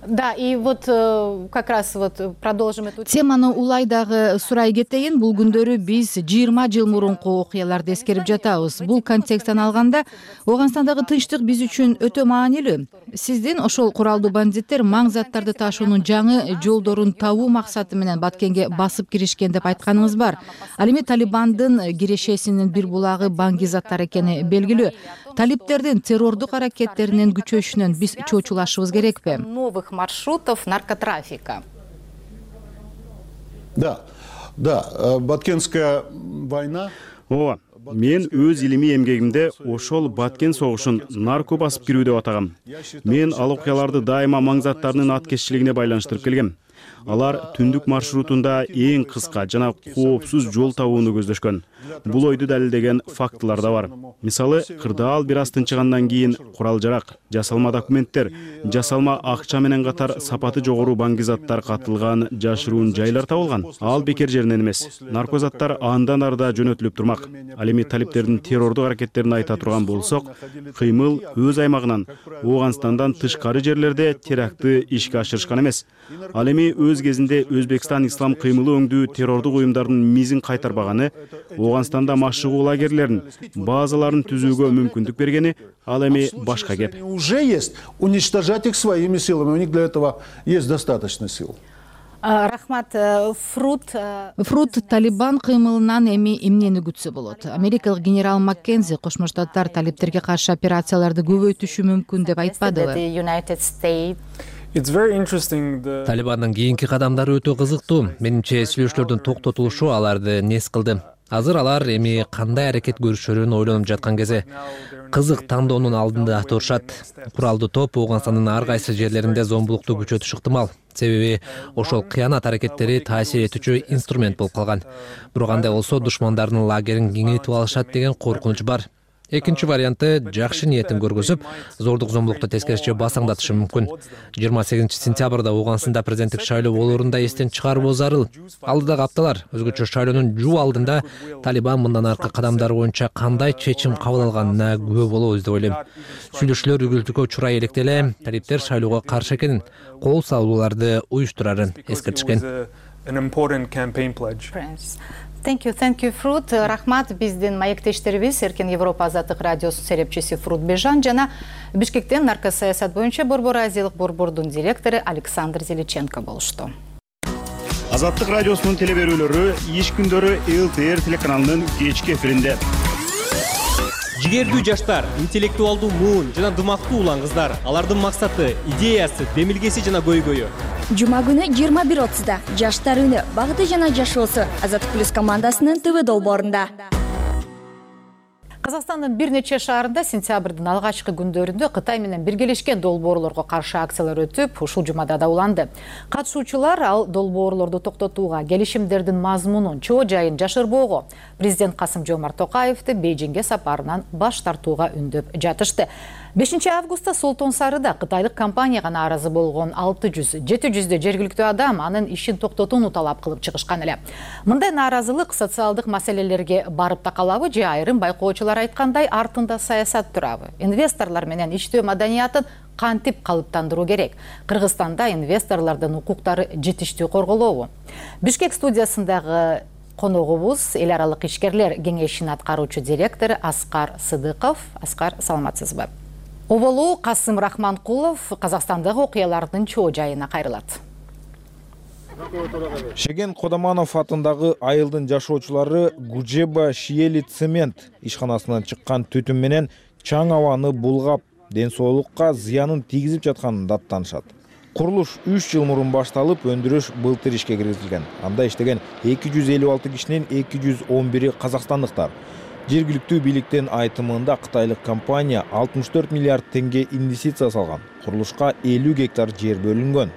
Да, и вот как раз вот продолжим эту теманы улай дагы сурай кетейин. Бул күндөрү биз жыйырма жыл мурунку окуяларды эскерип жатабыз. Бул контексттен алганда Ооганстандагы тынчтык биз үчүн өтө маанилүү. Сиздин ошол куралдуу бандиттер маңзаттарды ташуунун жаңы жолдорун табуу максаты менен Баткенге басып киришкен деп айтканыңыз бар. Ал эми Талибандын кирешесинин бир булагы баңгизаттар экени белгилүү. Талиптердин террордук аракеттеринин күчөйүшүнөн биз чочулашыбыз керекпи? Новых маршрутов наркотрафика. Да, да, Баткенская война. Ооба, мен өз илимий эмгегимде ошол Баткен согушун нарко басып кирүү деп атагам. Мен ал окуяларды дайыма маңзаттарынын аткеччилигине байланыштырып келгем. Алар түндүк маршрутунда эң кыска жана коопсуз жол табууну көздөшкөн. Бул ойду далилдеген фактылар да бар. Мисалы, кырдаал бир аз тынчыгандан кийин курал-жарак, жасалма документтер, жасалма акча менен катар сапаты жогору баңгизаттар катылган жашыруун жайлар табылган. Ал бекер жеринен эмес. Наркозаттар андан арда жөнөтүлүп турмак. Ал эми талиптердин террордук аракеттерин айта турган болсок, кыймыл өз аймагынан, Ооганстандан тышкары жерлерде терактты ишке ашырышкан эмес. Ал эми өз кезинде Өзбекстан ислам кыймылы өңдүү террордук уюмдардын мизин кайтарбаганы, Ооганстанда машыгуу лагерлерин, базаларын түзүүгө мүмкүндүк бергени ал эми башка кеп. Уже есть уничтожать их своими силами. У них для этого есть достаточно сил. Рахмат, Фрут. Фрут Талибан кыймылынан эми эмнени күтсө болот? Америкалык генерал Маккензи Кошмо Штаттар талиптерге каршы операцияларды көбөйтүшү мүмкүн деп айтпадыбы? Талибандын кийинки кадамдары өтө кызыктуу. Менимче сүйлөшүүлөрдүн токтотулушу аларды нес кылды. Азыр алар эми кандай аракет көрүшөрүн ойлонуп жаткан кези. Кызык тандоонун алдында турушат. Куралдуу топ Ооганстандын ар кайсы жерлеринде зомбулукту күчөтүш ыктымал. Себеби ошол кыянат аракеттери таасир этүүчү инструмент болуп калган. Бирок андай болсо душмандардын лагерин кеңейтип алышат деген коркунуч бар. Экинчи варианты жакшы ниетин көргөзүп, зордук зомбулукту тескерисинче басаңдатышы мүмкүн. жыйырма сегизинчи сентябрда Ооганстанда президенттик шайлоо болоорун да эстен чыгаруу зарыл. Алдыдагы апталар өзгөчө шайлоонун жуу алдында Талибан мындан аркы кадамдары боюнча кандай чечим кабыл алганына күбө болобуз деп ойлойм. Сүйлөшүүлөр үгүлтүккө учурай электе эле талиптер шайлоого каршы экенин, кол салууларды уюштурарын эскертишкен. Thank you, thank you, Fruit. Рахмат, биздин маектештерибиз Эркен Европа азаттык радиосунун серепчиси Фрут Бежан жана Бишкектен нарко саясат боюнча Борбор Азиялык борбордун директору Александр Зеличенко болушту. Азаттык радиосунун телеберүүлөрү иш күндөрү эл тэ эр телеканалынын кечки эфиринде. Жигердүү жаштар, интеллектуалдуу муун жана дымактуу улан кыздар, алардын максаты, идеясы, демилгеси жана көйгөйү. Жума күнү жыйырма бир отузда жаштар үнү багыты жана жашоосу Азаттык плюс командасынын ТВ долбоорунда. Казакстандын бир нече шаарында сентябрдын алгачкы күндөрүндө Кытай менен биргелешкен долбоорлорго каршы акциялар өтүп, ушул жумада да уланды. Катышуучулар ал долбоорлорду токтотууга, келишимдердин мазмунун, чоо жайын жашырбоого, президент Касым Жомарт Токаевди Бейжиңге сапарынан баш тартууга үндөп жатышты. бешинчи августта Солтон Сарыда кытайлык компанияга нааразы болгон алты жүз жети жүздөй жергиликтүү адам анын ишин токтотууну талап кылып чыгышкан эле. Мындай нааразылык социалдык маселелерге барып такалабы же айрым байкоочулар айткандай артында саясат турабы? Инвесторлор менен иштөө маданиятын кантип калыптандыруу керек? Кыргызстанда инвесторлордун укуктары жетиштүү корголобу? Бишкек студиясындагы коногубуз эл аралык ишкерлер кеңешинин аткаруучу директору Аскар Сыдыков. Аскар, саламатсызбы? Оболу Касым Рахманкулов Казакстандагы окуялардын чоо жайына кайрылат. Шеген Кодаманов атындагы айылдын жашоочулары Гужеба Шиели цемент ишканасынан чыккан түтүн менен чаң абаны булгап, ден соолукка зыянын тийгизип жатканын даттанышат. Курулуш үч жыл мурун башталып, өндүрүш былтыр ишке киргизилген. Анда иштеген эки жүз элүү алты кишинин эки жүз он бири казакстандыктар. Жергиликтүү бийликтин айтымында кытайлык компания алтымыш төрт миллиард теңге инвестиция салган. Курулушка элүү гектар жер бөлүнгөн.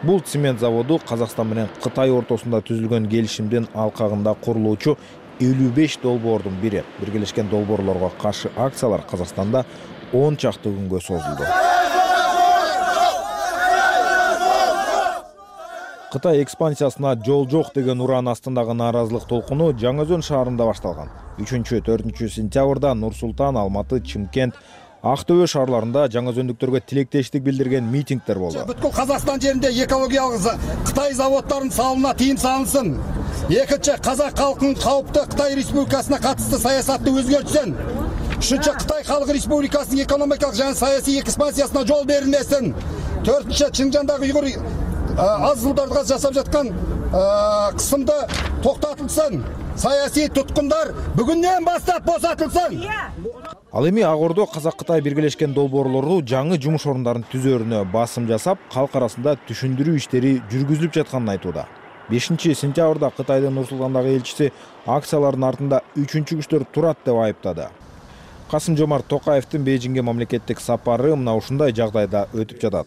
Бул цемент заводу Казакстан менен Кытай ортосунда түзүлгөн келишимдин алкагында курулуучу элүү беш долбоордун бири. Биргелешкен долбоорлорго каршы акциялар Казакстанда он чакты күнгө созулду. Кытай экспансиясына жол жок деген уран астындагы нааразылык толкуну Жаңаөзөн шаарында башталган. үчүнчү төртүнчү сентябрда Нур Султан, Алматы, Чымкент, Актөбө шаарларында жаңаөзөндүктөргө тилектештик билдирген митингдер болду. Бүткүл Казакстан жеринде экологиялык Кытай заводдорунун салымына тыйым салынсын. Экинчи, казак калкынын каупту Кытай Республикасына катысты саясатты өзгөртсүн. Үчүнчү, Кытай Халык Республикасынын экономикалык жана саясий экспансиясына жол берилмесин. Төртүнчү, Чыңжандагы уйгур аз жылдарга жасап жаткан кысымды токтотулсын. Саясий туткундар бүгүндөн баштап босотулсын. Ал эми Ак Ордо Казак-Кытай биргелешкен долбоорлору жаңы жумуш орундарын түзөрүнө басым жасап, калк арасында түшүндүрүү иштери жүргүзүлүп жатканын айтууда. бешинчи сентябрда Кытайдын Нур Султандагы элчиси акциялардын артында үчүнчү күчтөр турат деп айыптады. Касым Жомарт Токаевдин Бейжиңге мамлекеттик сапары мына ушундай жагдайда өтүп жатат.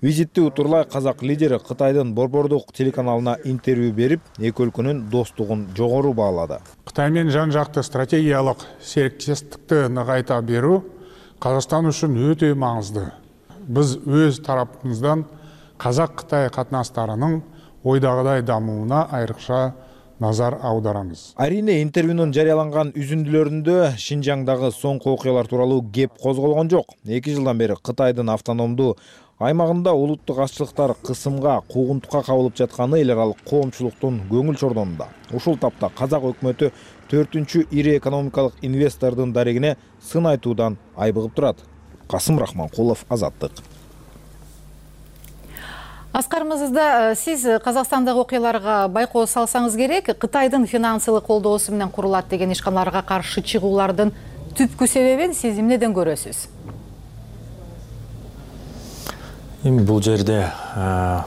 Визитти утурлай казак лидери Кытайдын борбордук телеканалына интервью берип, эки өлкөнүн достугун жогору баалады. Кытай менен жан жакты стратегиялык сериктештикти ныгайта берүү Казакстан үчүн өтө маңыздуу. Биз өз тарапыбыздан Казак-Кытай катнаштарынын ойдагыдай дамууна айрыкча назар аударабыз. Арине интервьюнун жарыяланган үзүндүлөрүндө Шинжаңдагы соңку окуялар тууралуу кеп козголгон жок. эки жылдан бери Кытайдын автономдуу аймагында улуттук азчылыктар кысымга, куугунтукка кабылып жатканы эл аралык коомчулуктун көңүл чордонунда. Ушул тапта казак өкмөтү төртүнчү ири экономикалык инвестордун дарегине сын айтуудан айбыгып турат. Касым Рахманкулов, Азаттык. Аскар мырза, сиз Казакстандагы окуяларга байкоо салсаңыз керек, Кытайдын финансылык колдоосу менен курулат деген ишканаларга каршы чыгуулардын түпкү себебин сиз эмнеден көрөсүз? эми бул жерде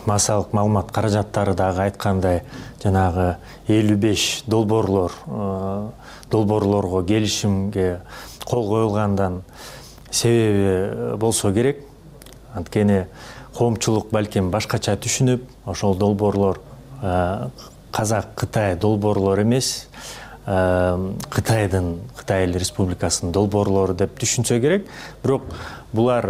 массалык маалымат каражаттары дагы айткандай жанагы элүү беш долбоорлор долбоорлорго келишимге кол коюлгандан себеби болсо керек. Анткени коомчулук балким башкача түшүнүп, ошол долбоорлор Казак-Кытай долбоорлор эмес, Кытайдын, Кытай Эл Республикасынын долбоорлору деп түшүнсө керек. Бирок булар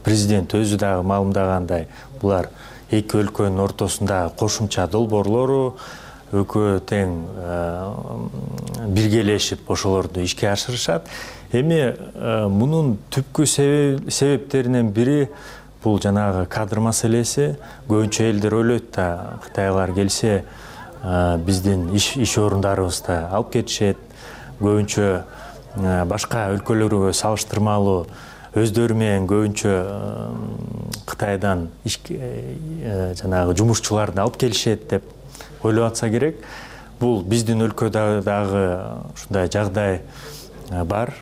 президент өзү дагы маалымдагандай, булар эки өлкөнүн ортосундагы кошумча долбоорлору, экөө тең биргелешип ошолорду ишке ашырышат. Эми мунун түпкү себептеринен бири бул жанагы кадр маселеси. Көбүнчө элдер ойлойт да, кытайлар келсе биздин иш иш орундарыбызды алып кетишет. Көбүнчө башка өлкөлөргө салыштырмалуу өздөрү менен көбүнчө Кытайдан жанагы жумушчуларды алып келишет деп ойлоп атса керек. Бул биздин өлкөдө дагы ушундай жагдай бар.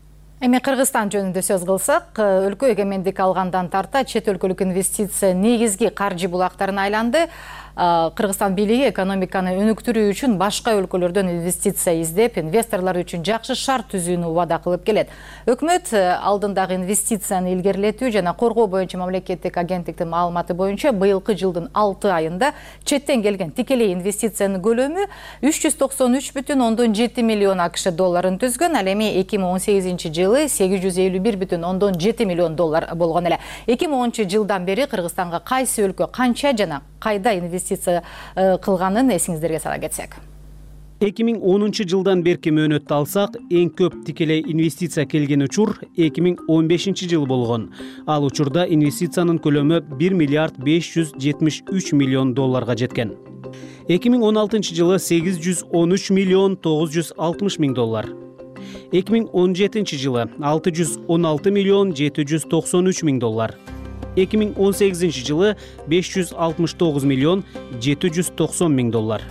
Эми Кыргызстан жөнүндө сөз кылсак, өлкө эгемендик алгандан тарта чет өлкөлүк инвестиция негизги каржы булактарына айланды. Кыргызстан бийлиги экономиканы өнүктүрүү үчүн башка өлкөлөрдөн инвестиция издеп, инвесторлор үчүн жакшы шарт түзүүнү убада кылып келет. Өкмөт алдындагы инвестицияны илгерилетүү жана коргоо боюнча мамлекеттик агенттиктин маалыматы боюнча быйылкы жылдын алты айында четтен келген тикелей инвестициянын көлөмү үч жүз токсон үч бүтүн ондон жети миллион АКШ долларын түзгөн. Ал эми эки миң он сегизинчи жылы сегиз жүз элүү бир бүтүн ондон жети миллион доллар болгон эле. эки миң онунчу жылдан бери Кыргызстанга кайсы өлкө канча жана кайда инвестиция кылганын эсиңиздерге сала кетсек. эки миң онунчу жылдан берки мөөнөттү алсак, эң көп тикелей инвестиция келген учур эки миң он бешинчи жыл болгон. Ал учурда инвестициянын көлөмү бир миллиард беш жүз жетимиш үч миллион долларга жеткен. эки миң он алтынчы жылы сегиз жүз он үч миллион тогуз жүз алтымыш миң доллар. эки миң он жетинчи жылы алты жүз он алты миллион жети жүз токсон үч миң доллар. эки миң он сегизинчи жылы беш жүз алтымыш тогуз миллион жети жүз токсон миң доллар.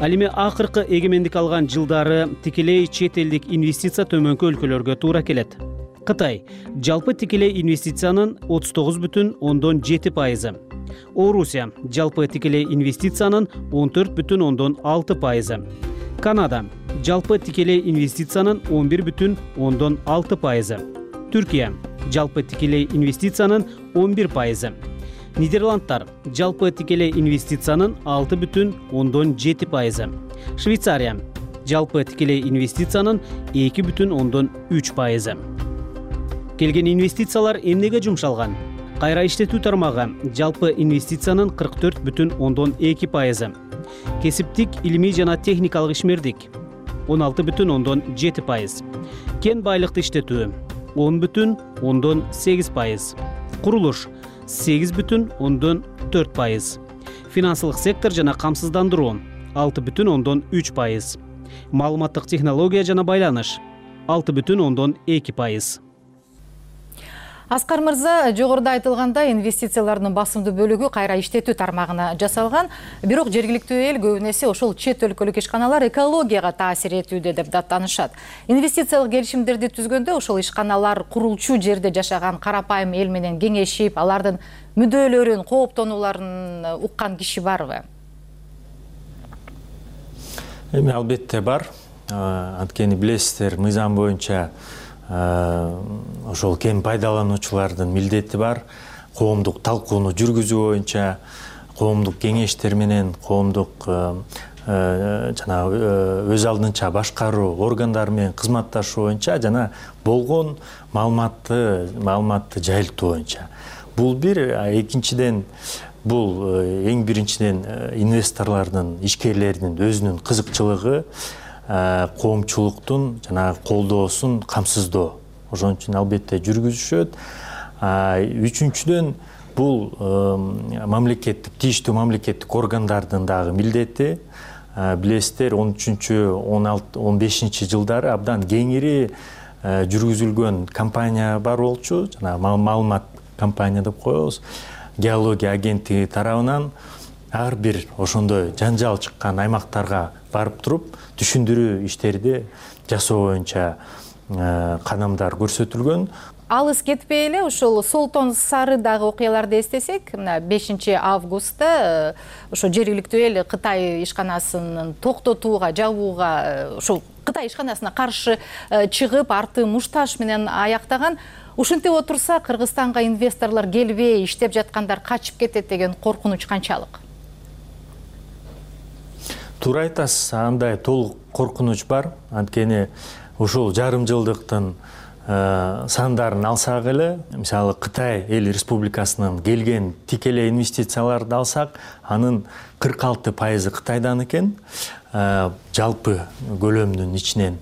Ал эми акыркы эгемендик алган жылдары тикелей чет элдик инвестиция төмөнкү өлкөлөргө туура келет. Кытай жалпы тикелей инвестициянын отуз тогуз бүтүн ондон жети пайызы. Орусия жалпы тикелей инвестициянын он төрт бүтүн ондон алты пайызы. Канада жалпы тикелей инвестициянын он бир бүтүн ондон алты пайызы. Түркия жалпы тикелей инвестициянын он бир пайызы. Нидерландтар жалпы тикелей инвестициянын алты бүтүн ондон жети пайызы. Швейцария жалпы тикелей инвестициянын эки бүтүн ондон үч пайызы. Келген инвестициялар эмнеге жумшалган? Кайра иштетүү тармагы жалпы инвестициянын кырк төрт бүтүн ондон эки пайызы. Кесиптик, илимий жана техникалык ишмердик он алты бүтүн ондон жети пайыз. Кен байлыкты иштетүү он бүтүн ондон сегиз пайыз. Курулуш сегиз бүтүн ондон төрт пайыз. Финансылык сектор жана камсыздандыруу алты бүтүн ондон үч пайыз. Маалыматтык технология жана байланыш алты бүтүн ондон эки пайыз. Аскар мырза, жогоруда айтылгандай инвестициялардын басымдуу бөлүгү кайра иштетүү тармагына жасалган. Бирок жергиликтүү эл көбүн эсе ошол чет өлкөлүк ишканалар экологияга таасир этүүдө деп даттанышат. Инвестициялык келишимдерди түзгөндө ошол ишканалар курулчу жерде жашаган карапайым эл менен кеңешип, алардын мүддөөлөрүн, кооптонуларын уккан киши барбы? Эми албетте бар. Анткени билесиздер, мыйзам боюнча ошол кен пайдалануучулардын милдети бар. Коомдук талкууну жүргүзүү боюнча, коомдук кеңештер менен, коомдук жана өз алдынча башкаруу органдары менен кызматташуу боюнча жана болгон маалыматты маалыматты жайылтуу боюнча. Бул бир, экинчиден бул эң биринчиден инвесторлордун, ишкерлердин өзүнүн кызыкчылыгы, коомчулуктун жана колдоосун камсыздоо. Ошон үчүн албетте жүргүзүшөт. Үчүнчүдөн бул мамлекеттик, тийиштүү мамлекеттик органдардын дагы милдети. Билесиздер, он үчүнчү, он бешинчи жылдары абдан кеңири жүргүзүлгөн кампания бар болчу. Жана маалымат кампания деп коебуз. Геология агенттиги тарабынан ар бир ошондой жанжал чыккан аймактарга барып туруп түшүндүрүү иштерди жасоо боюнча кадамдар көрсөтүлгөн. алыс кетпей эле ушул Солтон Сарыдагы окуяларды эстесек, мына бешинчи августта ошо жергиликтүү эл Кытай ишканасын токтотууга, жабууга, ушул Кытай ишканасына каршы чыгып, арты мушташ менен аяктаган. Ушинтип отурса, Кыргызстанга инвесторлор келбей, иштеп жаткандар качып кетет деген коркунуч канчалык? Туура айтасыз, андай толук коркунуч бар. Анткени ушул жарым жылдыктын сандарын алсак эле, мисалы Кытай эл республикасынан келген тикелей инвестицияларды алсак, анын кырк алты пайызы Кытайдан экен, жалпы көлөмдүн ичинен.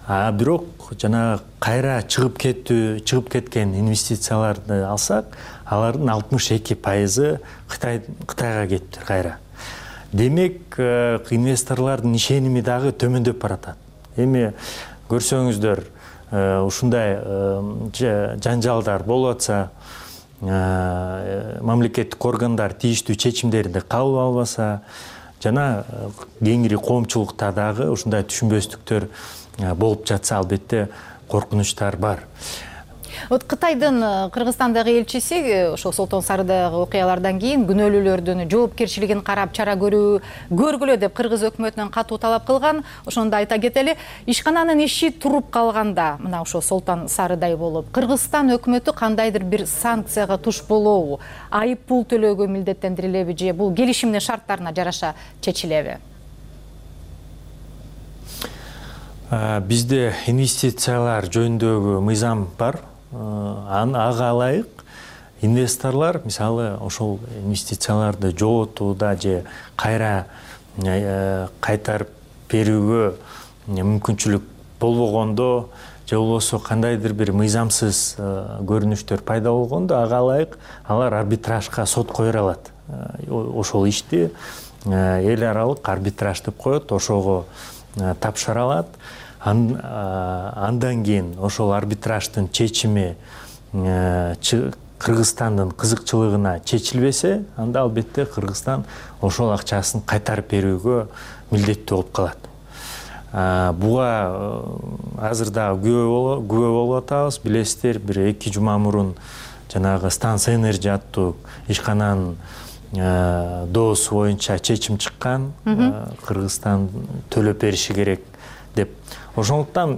А бирок жана кайра чыгып кеттүү, чыгып кеткен инвестицияларды алсак, алардын алтымыш эки пайызы Кытай Кытайга кетиптир кайра. Демек, инвесторлордун ишеними дагы төмөндөп баратат. Эми көрсөңүздөр, ушундай жанжалдар болуп атса, мамлекеттик органдар тийиштүү чечимдерди кабыл албаса, жана кеңири коомчулукта дагы ушундай түшүнбөстүктөр болуп жатса, албетте коркунучтар бар. Вот Кытайдын Кыргызстандагы элчиси ошо Солтон Сарыдагы окуялардан кийин күнөөлүүлөрдүн жоопкерчилигин карап чара көрүү көргүлө деп кыргыз өкмөтүнөн катуу талап кылган. Ошондо айта кетели, ишкананын иши туруп калганда, мына ошо Солтон Сарыдай болуп, Кыргызстан өкмөтү кандайдыр бир санкцияга туш болобу, айып пул төлөөгө милдеттендирилеби же бул келишимдин шарттарына жараша чечилеби? Бизде инвестициялар жөнүндөгү мыйзам бар. Ага ылайык инвесторлор, мисалы, ошол инвестицияларды жоотууда же кайра кайтарып берүүгө мүмкүнчүлүк болбогондо, же болбосо кандайдыр бир мыйзамсыз көрүнүштөр пайда болгондо, ага ылайык алар арбитражга сот койдура алат. Ошол ишти эл аралык арбитраж деп коет, ошого тапшыра алат. Андан кийин ошол арбитраждын чечими Кыргызстандын кызыкчылыгына чечилбесе, анда албетте Кыргызстан ошол акчасын кайтарып берүүгө милдеттүү болуп калат. Буга азыр дагы күбө болуп атабыз. Билесиздер, бир эки жума мурун жанагы Станция Энерджи аттуу ишкананын доосу боюнча чечим чыккан. Кыргызстан төлөп бериши керек деп. Ошондуктан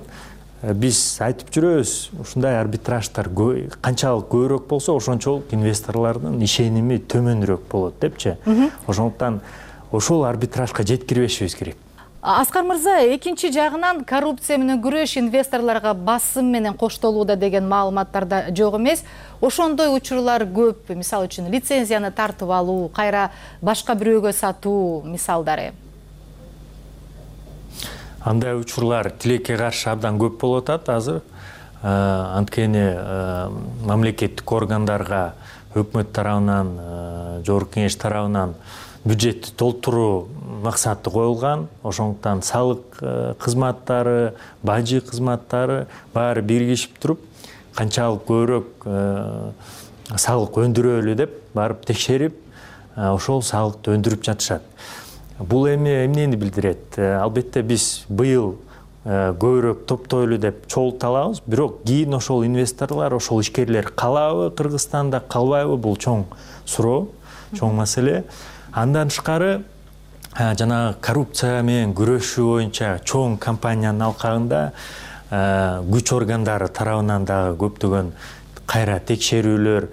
биз айтып жүрөбүз, ушундай арбитраждар канчалык көбүрөөк болсо, ошончолук инвесторлордун ишеними төмөнүрөөк болот депчи. Ошондуктан ошол арбитражга жеткирбешибиз керек. Аскар мырза, экинчи жагынан коррупция менен күрөш инвесторлорго басым менен коштолууда деген маалыматтарда жок эмес. Ошондой учурлар көп, мисалы үчүн лицензияны тартып алуу, кайра башка бирөөгө сатуу мисалдары. Андай учурлар тилекке каршы абдан көп болуп атат азыр. Анткени мамлекеттик органдарга өкмөт тарабынан, жогорку кеңеш тарабынан бюджетти толтуруу максаты коюлган. Ошондуктан салык кызматтары, бажы кызматтары баары биригишип туруп, канчалык көбүрөөк салык өндүрөлү деп барып текшерип, ошол салыкты өндүрүп жатышат. Бул эми эмнени билдирет? Албетте биз быйыл көбүрөөк топтойлу деп чогулта алабыз, бирок кийин ошол инвесторлор, ошол ишкерлер калабы Кыргызстанда, калбайбы, бул чоң суроо, чоң маселе. Андан тышкары жана коррупция менен күрөшүү боюнча чоң компаниянын алкагында күч органдары тарабынан дагы көптөгөн кайра текшерүүлөр,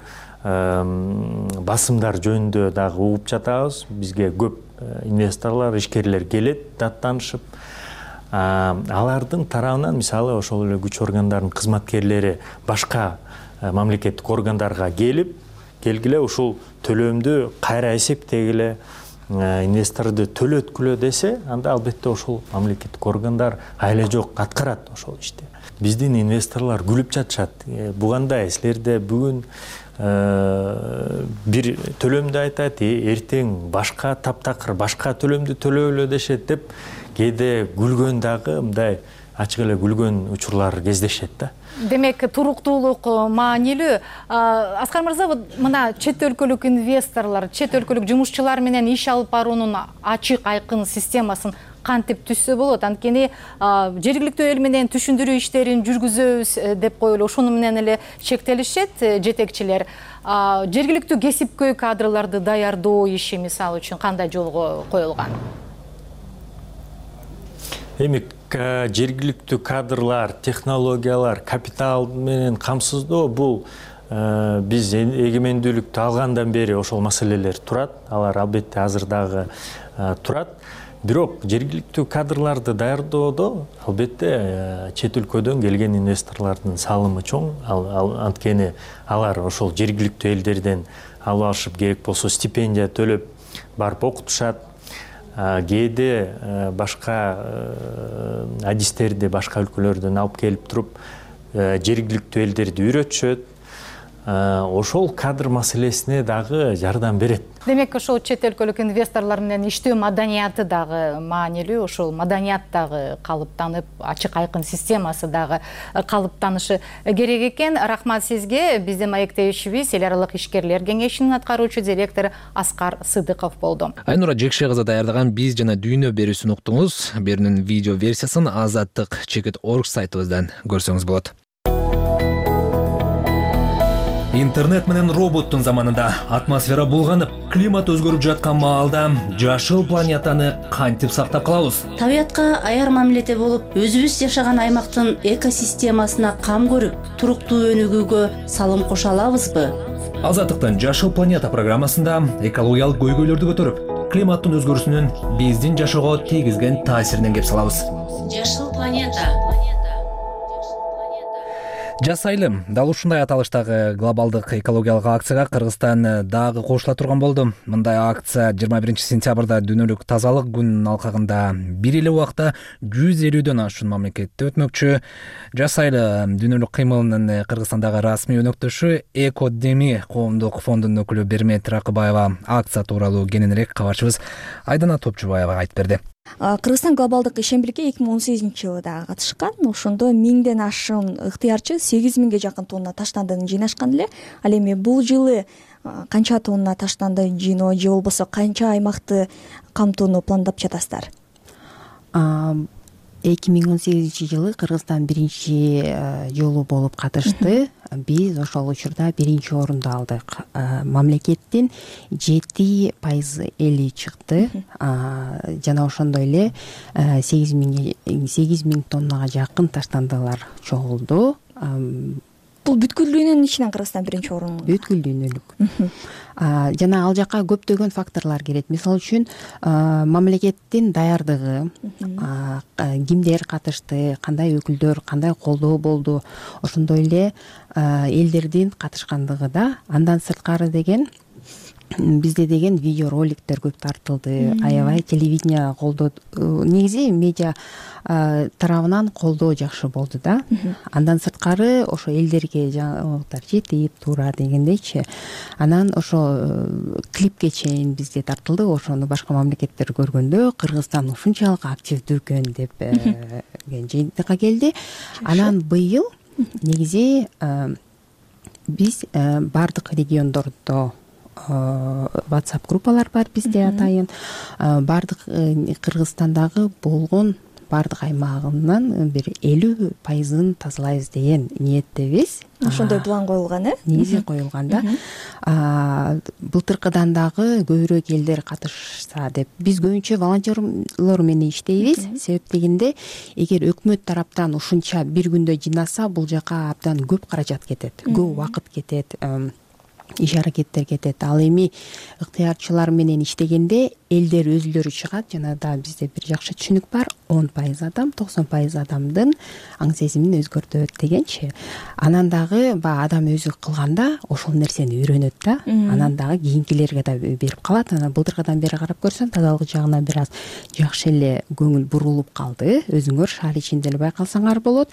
басымдар жөнүндө дагы угуп жатабыз. Бизге көп инвесторлор, ишкерлер келет, даттанышып. Алардын тарабынан, мисалы, ошол эле күч органдарынын кызматкерлери башка мамлекеттик органдарга келип, келгиле ушул төлөмдү кайра эсептегиле, инвесторду төлөткүлө десе, анда албетте ошол мамлекеттик органдар айла жок аткарат ошол ишти. Биздин инвесторлор күлүп жатышат. Бугандай силерде бүгүн бир төлөмдү айтат, эртең башка таптакыр башка төлөмдү төлөөлө дешет деп, кээде күлгөн дагы мындай ачык эле күлгөн учурлар кездешет да. Демек, туруктуулук маанилүү. Аскар мырза, мына чет өлкөлүк инвесторлор, чет өлкөлүк жумушчулар менен иш алып баруунун ачык айкын системасын кантип түзсө болот, анткени жергиликтүү эл менен түшүндүрүү иштерин жүргүзөбүз деп коюлуп ошону менен эле чектелишет жетекчилер. Жергиликтүү кесипкөй кадрларды даярдоо иши мисалы үчүн кандай жолго коюлган? Эми жергиликтүү кадрлар, технологиялар, капитал менен камсыздоо бул биз эгемендүүлүктү алгандан бери ошол маселелер турат. Алар албетте азыр дагы турат. Бирок жергиликтүү кадрларды даярдоодо албетте чет өлкөдөн келген инвесторлордун салымы чоң. Анткени алар ошол жергиликтүү элдерден алып алышып, керек болсо стипендия төлөп барып окутушат. Кээде башка адистерди башка өлкөлөрдөн алып келип туруп жергиликтүү элдерди үйрөтүшөт. Ошол кадр маселесине дагы жардам берет. Демек, ошол чет өлкөлүк инвесторлор менен иштөө маданияты дагы маанилүү, ошол маданият дагы калыптанып, ачык айкын системасы дагы калыптанышы керек экен. Рахмат сизге. Биздин маектешибиз эл аралык ишкерлер кеңешинин аткаруучу директору Аскар Сыдыков болду. Айнура Жекше кызы даярдаган Биз жана дүйнө берүүсүн уктуңуз. Берүүнүн видео версиясын азаттык чекит точка орг сайтыбыздан көрсөңүз болот. Интернет менен роботтун заманында атмосфера булганып, климат өзгөрүп жаткан маалда жашыл планетаны кантип сактап калабыз? Табиятка аяр мамиледе болуп, өзүбүз жашаган аймактын экосистемасына кам көрүп, туруктуу өнүгүүгө салым кошо алабызбы? Азаттыктын Жашыл планета программасында экологиялык көйгөйлөрдү көтөрүп, климаттын өзгөрүүсүнүн биздин жашоого тийгизген таасиринен кеп салабыз. Жашыл планета. Жасайлы, дал ушундай аталыштагы глобалдык экологиялык акцияга Кыргызстан дагы кошула турган болду. Мындай акция жыйырма биринчи сентябрда дүйнөлүк тазалык күнүнүн алкагында бир эле убакта жүз элүүдөн ашуун мамлекетте өтмөкчү. Жасайлы дүйнөлүк кыймылынын Кыргызстандагы расмий өнөктөшү Экодеми коомдук фондунун өкүлү Бермет Ракыбаева акция тууралуу кененирээк кабарчыбыз Айдана Топчубаева айтып берди. Кыргызстан глобалдык ишембирикке эки миң он сегизинчи жылы дагы катышкан. Ошондо миңден ашуун ыктыярчы сегиз миңге жакын тонна таштандыны жыйнашкан эле. Ал эми бул жылы канча тонна таштанды жыйноо же болбосо канча аймакты камтууну пландап жатасыздар? эки миң он сегизинчи жылы Кыргызстан биринчи жолу болуп катышты. Биз ошол учурда биринчи орунду алдык. Мамлекеттин жети пайыз эли чыкты. Жана ошондой эле сегиз миң тоннага жакын таштандылар чогулду. Бул бүткүлдүүнүн ичинен Кыргызстан биринчи орун. Бүткүлдүүнүлүк. Жана ал жака көптөгөн факторлор кирет. Мисалы үчүн мамлекеттин даярдыгы, кимдер катышты, кандай өкүлдөр, кандай колдоо болду, ошондой эле элдердин катышкандыгы да. Андан сырткары деген бизде деген видео роликтер көп тартылды. Аябай телевидение колдоо, негизи медиа тарабынан колдоо жакшы болду да. Андан сырткары ошо элдерге жаңылыктар жетип туура дегендейчи. Анан ошо клипке чейин бизде тартылды. Ошону башка мамлекеттер көргөндө Кыргызстан ушунчалык активдүү экен деп жыйынтыкка келди. Анан быйыл негизи биз бардык региондордо WhatsApp группалар бар бизде атайын. Бардык Кыргызстандагы болгон бардык аймагынан бир элүү пайызын тазалайбыз деген ниеттебиз. Ошондой план коюлган, э? Негизи коюлган да. Былтыркыдан дагы көбүрөөк элдер катышса деп. Биз көбүнчө волонтерлор менен иштейбиз. Себеп дегенде, эгер өкмөт тараптан ушунча бир күндө жыйнаса, бул жака абдан көп каражат кетет, көп убакыт кетет. Иш аракеттер кетет. Ал эми ыктыярчылар менен иштегенде элдер өзүлөрү чыгат. Жана да бизде бир жакшы түшүнүк бар. он пайыз адам, токсон пайыз адамдын аң сезимин өзгөртөт дегенчи. Анан дагы баягы адам өзү кылганда ошол нерсени үйрөнөт да. Анан дагы кийинкилерге да берип калат. Анан былтыркыдан бери карап көрсөм, тазалык жагынан бир аз жакшы эле көңүл бурулуп калды. Өзүңөр шаар ичинде эле байкалсаңар болот.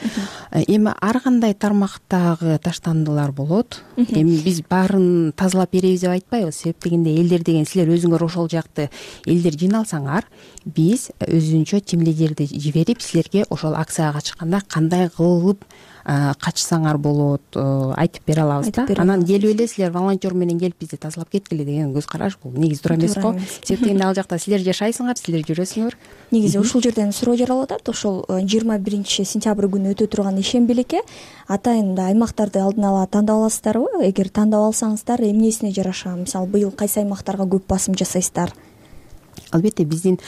Эми ар кандай тармактагы таштандылар болот. Эми биз баарын тазалап беребиз деп айтпайбыз. Себеп дегенде элдер деген силер өзүңөр ошол жакты элдер жыйналсаңар, биз өзүнчө тим лидерди жиберип, силерге ошол акцияга чыкканда кандай кылып качсаңар болот айтып бере алабыз да. Анан келип эле силер волонтер менен келип бизди тазалап кеткиле деген көз караш бул негизи туура эмес го. Себептен ал жакта силер жашайсыңар, силер жүрөсүңөр. Негизи ушул жерден суроо жаралып атат. Ошол жыйырма биринчи сентябрь күнү өтө турган ишембилекке атайын аймактарды алдын ала тандап аласыздарбы? Эгер тандап алсаңыздар, эмнесине жараша, мисалы быйыл кайсы аймактарга көп басым жасайсыздар? Албетте биздин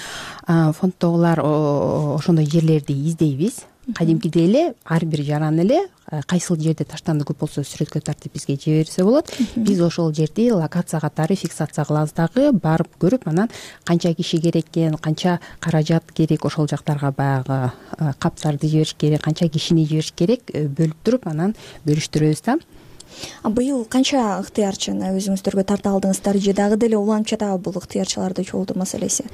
фонддогулар ошондой жерлерди издейбиз. Кадимкидей эле ар бир жаран эле кайсыл жерде таштанды көп болсо сүрөткө тартып бизге жиберсе болот. Биз ошол жерди локация катары фиксация кылабыз дагы, барып көрүп, анан канча киши керек экен, канча каражат керек, ошол жактарга баягы каптарды жибериш керек, канча кишини жибериш керек, бөлүп туруп анан бөлүштүрөбүз да. Быйыл канча ыктыярчыны өзүңүздөргө тарта алдыңыздар же дагы деле уланып жатабы бул ыктыярчыларды чогултуу маселеси?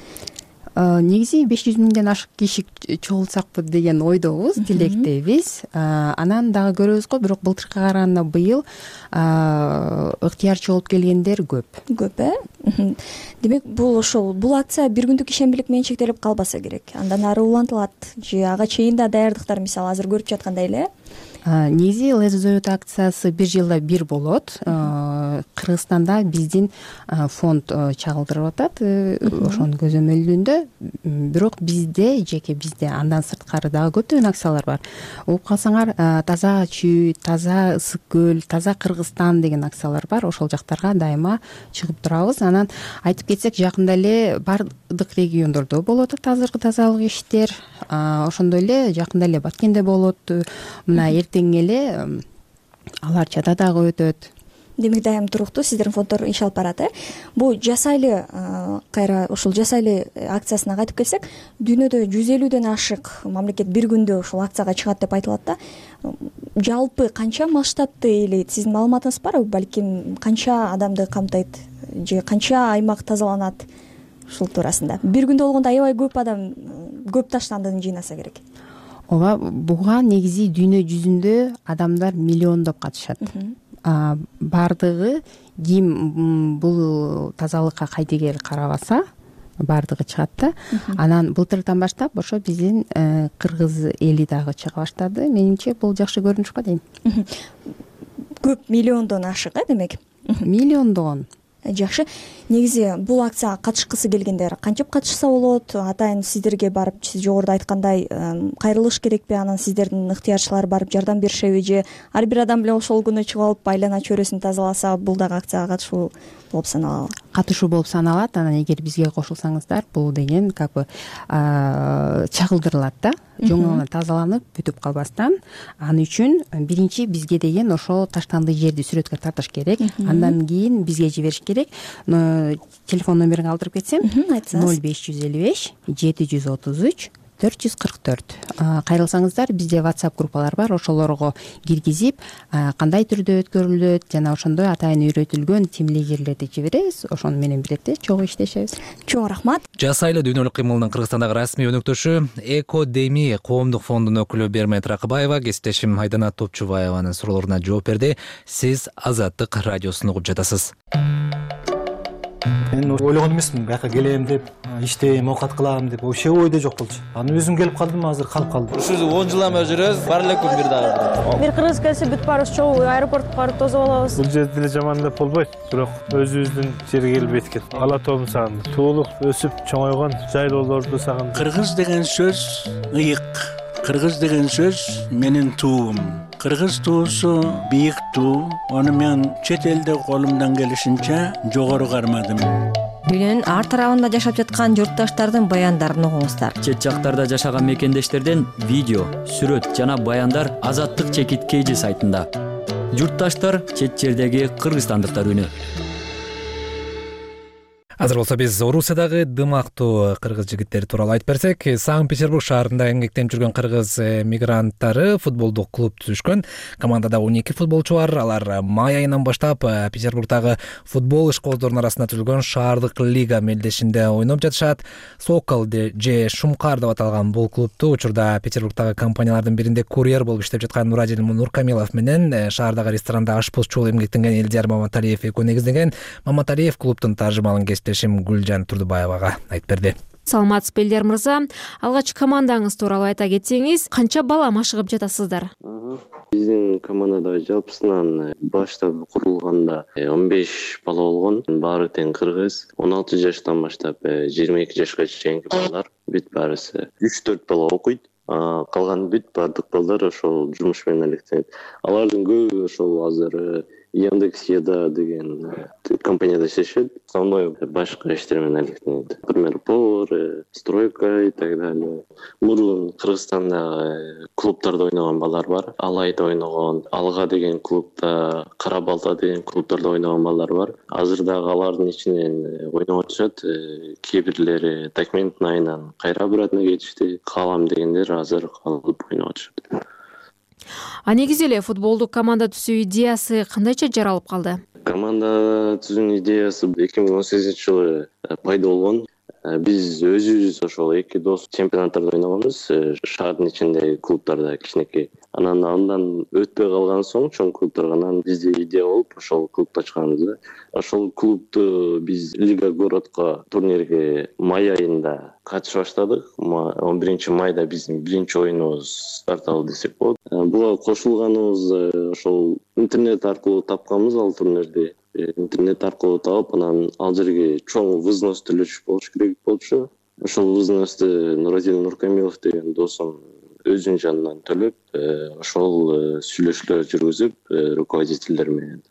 Негизи беш жүз миңден ашык киши чогултсакпы деген ойдобуз, тилектебиз. Анан дагы көрөбүз го, бирок былтыркыга караганда быйыл ыктыярчы болуп келгендер көп. Көп, э? Демек, бул ошол бул акция бир күндүк ишембилик менен чектелип калбаса керек. Андан ары улантылат же ага чейин да даярдыктар мисалы азыр көрүп жаткандай эле? Негизи Let's Do It акциясы бир жылда бир болот. Кыргызстанда биздин фонд чагылдырып атат ошонун көзөмөлүндө. Бирок бизде, жеке бизде андан сырткары дагы көптөгөн акциялар бар. Угуп калсаңар, таза чүй, таза ысык көл, таза Кыргызстан деген акциялар бар. Ошол жактарга дайыма чыгып турабыз. Анан айтып кетсек, жакында эле бардык региондордо болот азыркы тазалык иштер. Ошондой эле жакында эле Баткенде болот. Мына эртең эле алар чада дагы өтөт. Демек, дайым туруктуу сиздердин фонддор иш алып барат, э? Бул жасайлы кайра ушул жасайлы акциясына кайтып келсек, дүйнөдө жүз элүүдөн ашык мамлекет бир күндө ушул акцияга чыгат деп айтылат да. Жалпы канча масштабты ээлейт? Сиздин маалыматыңыз барбы? Балким канча адамды камтыйт же канча аймак тазаланат ушул туурасында? Бир күндө болгондо аябай көп адам, көп таштандыны жыйнаса керек. Ооба, буга негизи дүйнө жүзүндө адамдар миллиондоп катышат. Бардыгы ким бул тазалыкка кайдыгер карабаса, бардыгы чыгат да. Анан былтырдан баштап ошо биздин кыргыз эли дагы чыга баштады. Менимче бул жакшы көрүнүш го дейм. Көп миллиондон ашык, э, демек? Миллиондон. Жакшы. Негизи бул акцияга катышкысы келгендер канчап катышса болот? Атайын сиздерге барып, сиз жогоруда айткандай, кайрылыш керекпи? Анан сиздердин ыктыярчылар барып жардам беришеби же ар бир адам эле ошол күнү чыгып алып айлана чөйрөсүн тазаласа, бул дагы акцияга катышуу болуп саналабы? Катышуу болуп саналат. Анан эгер бизге кошулсаңыздар, бул деген как бы чагылдырылат да. Жоңона тазаланып, бүтүп калбастан. Аны үчүн биринчи бизге деген ошо таштанды жерди сүрөткө тартыш керек. Андан кийин бизге жибериш керек. Телефон номерин калтырып кетсем, ноль беш жүз элүү беш жети жүз отуз үч төрт жүз кырк төрт. Кайрылсаңыздар, бизде WhatsApp группалар бар, ошолорго киргизип, кандай түрдө өткөрүлөт жана ошондой атайын үйрөтүлгөн тим лидерлерди жиберебиз. Ошону менен бирдикте чогуу иштешебиз. Чоң рахмат. Жасайлы дүйнөлүк кыймылдын Кыргызстандагы расмий өнөктөшү Экодеми коомдук фондунун өкүлү Бермет Ракыбаева кесиптешим Айдана Топчубаеванын суроолоруна жооп берди. Сиз Азаттык радиосун угуп жатасыз. Мен ойлогон эмесмин, бияка келем деп, иштейм, оокат кылам деп, вообще ойдо жок болчу. Анан өзүм келип калдым, азыр калып калдым. Ушул он жылдан бери жүрөбүз, бар эле күн бир дагы. Бир кыргыз келсе бүт баарыбыз чогуу аэропортко барып тосуп алабыз. Бул жерде деле жаман деп болбойт, бирок өзүбүздүн жерге келип эткет. Ала тоомду сагындым. Туулук өсүп чоңойгон жайлоолорду сагындым. Кыргыз деген сөз ыйык. Кыргыз деген сөз менин туум. Кыргыз туусу бийик туу. Аны мен чет элде колумдан келишинче жогору кармадым. Дүйнөнүн ар тарабында жашап жаткан журтташтардын баяндарын угуңуздар. Чет жактарда жашаган мекендештерден видео, сүрөт жана баяндар Азаттык чекит кей жи сайтында. Журтташтар чет жердеги кыргызстандыктар үнү. Азыр болсо биз Орусиядагы дымактуу кыргыз жигиттери тууралуу айтып берсек, Санкт-Петербург шаарында эмгектенип жүргөн кыргыз мигранттары футболдук клуб түзүшкөн. Командада он эки футболчу бар. Алар май айынан баштап Петербургдагы футбол ишкоздорунун арасында түзүлгөн шаардык лига мелдешинде ойноп жатышат. Сокол же Шумкар деп аталган бул клубту учурда Петербургдагы компаниялардын биринде курьер болуп иштеп жаткан Нурадил Нуркамилов менен шаардагы ресторанда ашпозчу болуп эмгектенген Элдияр Маматалиев экөө негиздеген. Маматалиев клубдун таржымалын кесиптешим Гүлжан Турдубаевага айтып берди. Саламатсызбы Элдер мырза, алгач командаңыз тууралуу айта кетсеңиз, канча бала машыгып жатасыздар? Биздин командада жалпысынан баштап курулганда он беш бала болгон, баары тең кыргыз. он алты жаштан баштап жыйырма эки жашка чейинки балдар, бүт баарысы үч төрт бала окуйт. Калган бүт бардык балдар ошол жумуш менен алектенет. Алардын көбү ошол азыр Яндекс.Еда деген компанияда иштешет. Основной башка иштер менен алектенет. Например, повар, стройка и так далее. Мурун Кыргызстанда клубтарда ойногон балдар бар. Алайда ойногон, Алга деген клубда, Кара Балта деген клубтарда ойногон балдар бар. Азыр дагы алардын ичинен ойноп атышат. Кээ бирлери документин айынан кайра обратно кетишти. Калам дегендер азыр калып ойноп атышат. А негизи эле футболдук команда түзүү идеясы кандайча жаралып калды? Команда түзүүнүн идеясы эки миң он сегизинчи жылы пайда болгон. Биз өзүбүз ошол эки дос чемпионаттарда ойногонбуз, шаардын ичиндеги клубтарда кичинекей. Анан андан өтпөй калган соң чоң клубтарга бизде идея болуп ошол клубду ачканбыз. Ошол клубду биз Лига городко турнирге май айында катышып баштадык. он биринчи майда биздин биринчи оюнубуз старт алды десек болот. Буга кошулганыбыз ошол интернет аркылуу тапканбыз ал турнирди. Интернет аркылуу таап, анан ал жерге чоң взнос төлөш болуш керек болчу. Ошол взносту Нурадин Нуркамилов деген досум өзүнүн жанынан төлөп, ошол сүйлөшүүлөр жүргүзүп, руководителдер менен.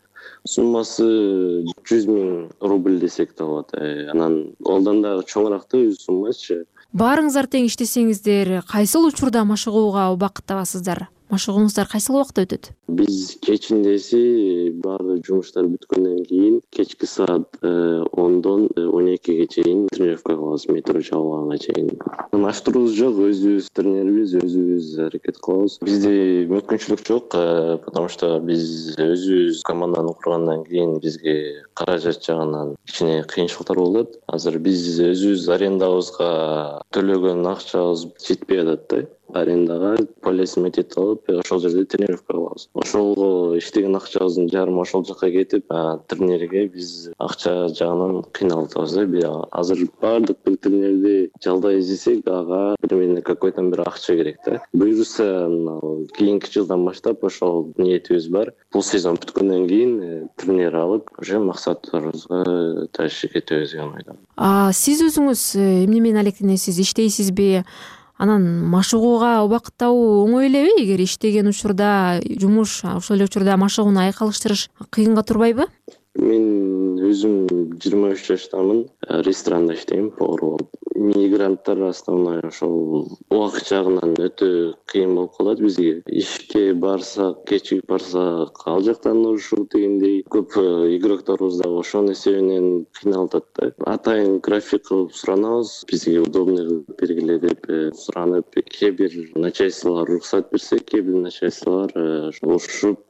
Суммасы жүз миң рубль десек да болот. Анан олдан дагы чоңураактуу суммачы. Баарыңыздар тең иштесеңиздер, кайсыл учурда машыгууга убакыт табасыздар? Машыгууңуздар кайсыл убакта өтөт? Биз кечиндеси баардык жумуштар бүткөндөн кийин кечки саат ондон он экиге чейин тренировка кылабыз, метро жабылганга чейин. Маштырубуз жок, өзүбүз тренербиз, өзүбүз аракет кылабыз. Бизде мүмкүнчүлүк жок, потому что биз өзүбүз команданы кургандан кийин бизге каражат жагынан кичине кыйынчылыктар болот. Азыр биз өзүбүз арендабызга төлөгөн акчабыз жетпей атат да. Арендага полисмен алып, ошол жерде тренировка кылабыз. Ошолго иштеген акчабыздын жарымы ошол жака кетип, тренерге биз акча жагынан кыйналып атабыз. Азыр баардык бир тренерди жалдай издесек, ага примерно какой-то бир акча керек да. Буюрса, кийинки жылдан баштап ошол ниетибиз бар. Бул сезон бүткөндөн кийин тренер алып, уже максаттарыбызга ташып кетебиз деген ойдомун. А сиз өзүңүз эмне менен алектенесиз, иштейсизби? Анан машыгууга убакыт табуу оңой элеби? Эгер иштеген учурда жумуш, ошол эле учурда машыгууну айкалыштырыш кыйынга турбайбы? Мен өзүм жыйырма үч жаштамын, ресторанда иштейм, повар болуп. Мигранттар основной ошол убакыт жагынан өтө кыйын болуп калат бизге. Ишке барсак, кечигип барсак, ал жактан ушул дегендей көп игрокторубуз дагы ошонун эсебинен кыйналып атат да. Атайын график кылып суранабыз, бизге удобный кылып бергиле деп суранып, кээ бир начальстволор уруксат берсе, кээ бир начальстволор урушуп,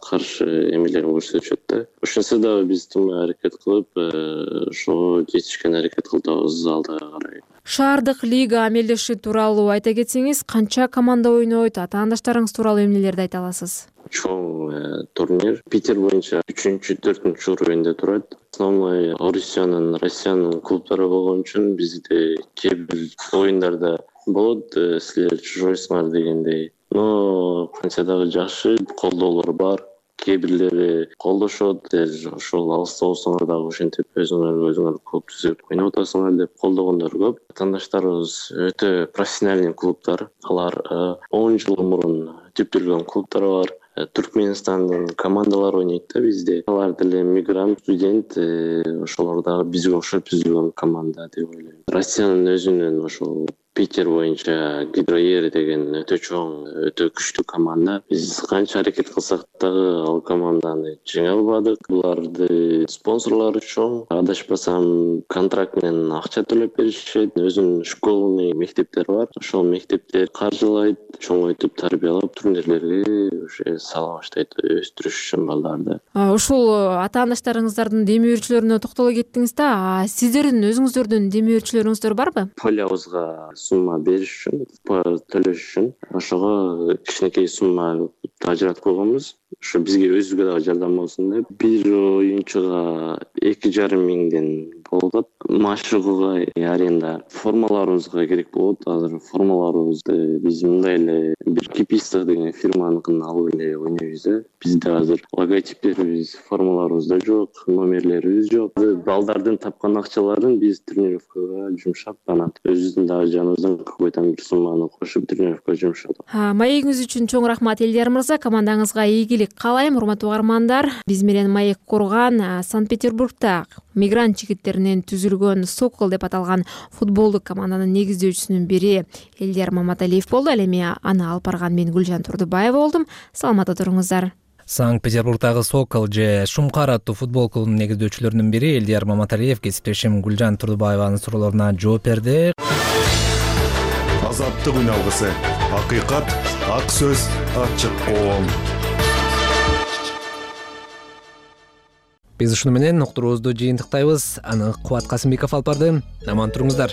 каршы эмелерин көрсөтүшөт да. Ошонсо дагы биз тим аракет кылып, ошого жетишкен аракет кылабыз алдыга карай. Шаардык лига амелдеши тууралуу айта кетсеңиз, канча команда ойнойт, атаандаштарыңыз тууралуу эмнелерди айта аласыз? Чоң турнир Питер боюнча үчүнчү, төртүнчү уровеньде турат. Основной Орусиянын, Россиянын клубтары болгон үчүн бизде кээ бир оюндарда болот, силер чужойсуңар дегендей. Но канча дагы жакшы колдоолор бар. Кээ бирлери колдошот, ошол алыста болсоңор дагы ошентип өзүңөр өзүңөр клуб түзүп ойноп атасыңар деп колдогондор көп. Атаандаштарыбыз өтө профессиональный клубтар. Алар он жыл мурун түптөлгөн клубтар бар. Түркменстандын командалары ойнойт да бизде. Алар деле мигрант, студент, ошолор дагы бизге окшоп түзүлгөн команда деп ойлойм. Россиянын өзүнүн ошол Питер боюнча Гидроер деген өтө чоң, өтө күчтүү команда. Биз канча аракет кылсак дагы ал команданы жеңе албадык. Буларды спонсорлору чоң. Адашпасам, контракт менен акча төлөп беришет. Өзүнүн школный мектептери бар. Ошол мектептер каржылайт, чоңойтуп, тарбиялап, турнирлерге уже сала баштайт, өстүрүш үчүн балдарды. Ушул атаандаштарыңыздардын дем берүүчүлөрүнө токтоло кеттиңиз да, сиздердин өзүңүздөрдүн дем берүүчүлөрүңүздөр барбы? Полябызга сумма бериш үчүн, төлөш үчүн ошого кичинекей сумма ажыратып койгонбуз. Ошо бизге өзүбүзгө дагы жардам болсун деп бир оюнчуга эки жарым миңден болуп атат. Машыгууга аренда формаларыбызга керек болот. Азыр формаларыбызды биз мындай эле бир Кипистов деген фирманыкын алып эле ойнойбуз. Бизде азыр логотиптерибиз, формаларыбызда жок, номерлерибиз жок. Балдардын тапкан акчаларын биз тренировкага жумшап, анан өзүбүздүн дагы жаныбыздан какой-то бир сумманы кошуп тренировкага жумшадык. Маегиңиз үчүн чоң рахмат Элдияр мырза. Командаңызга ийгилик каалайм, урматтуу угармандар. Биз менен маек курган Санкт-Петербургда мигрант жигиттеринен түзүлгөн Сокол деп аталган футболдук команданын негиздөөчүсүнүн бири Элдияр Маматалиев болду. Ал эми аны алып барган мен Гүлжан Турдубаева болдум. Саламатта туруңуздар. Санкт-Петербургдагы Сокол же Шумкар аттуу футбол клубунун негиздөөчүлөрүнүн бири Элдияр Маматалиев кесиптешим Гүлжан Турдубаеванын суроолоруна жооп берди. Азаттык үн алгысы, акыйкат, ак сөз, ачык коом. Биз ушуну менен уктуруубузду жыйынтыктайбыз. Аны Кубат Касымбеков алып барды. Аман туруңуздар.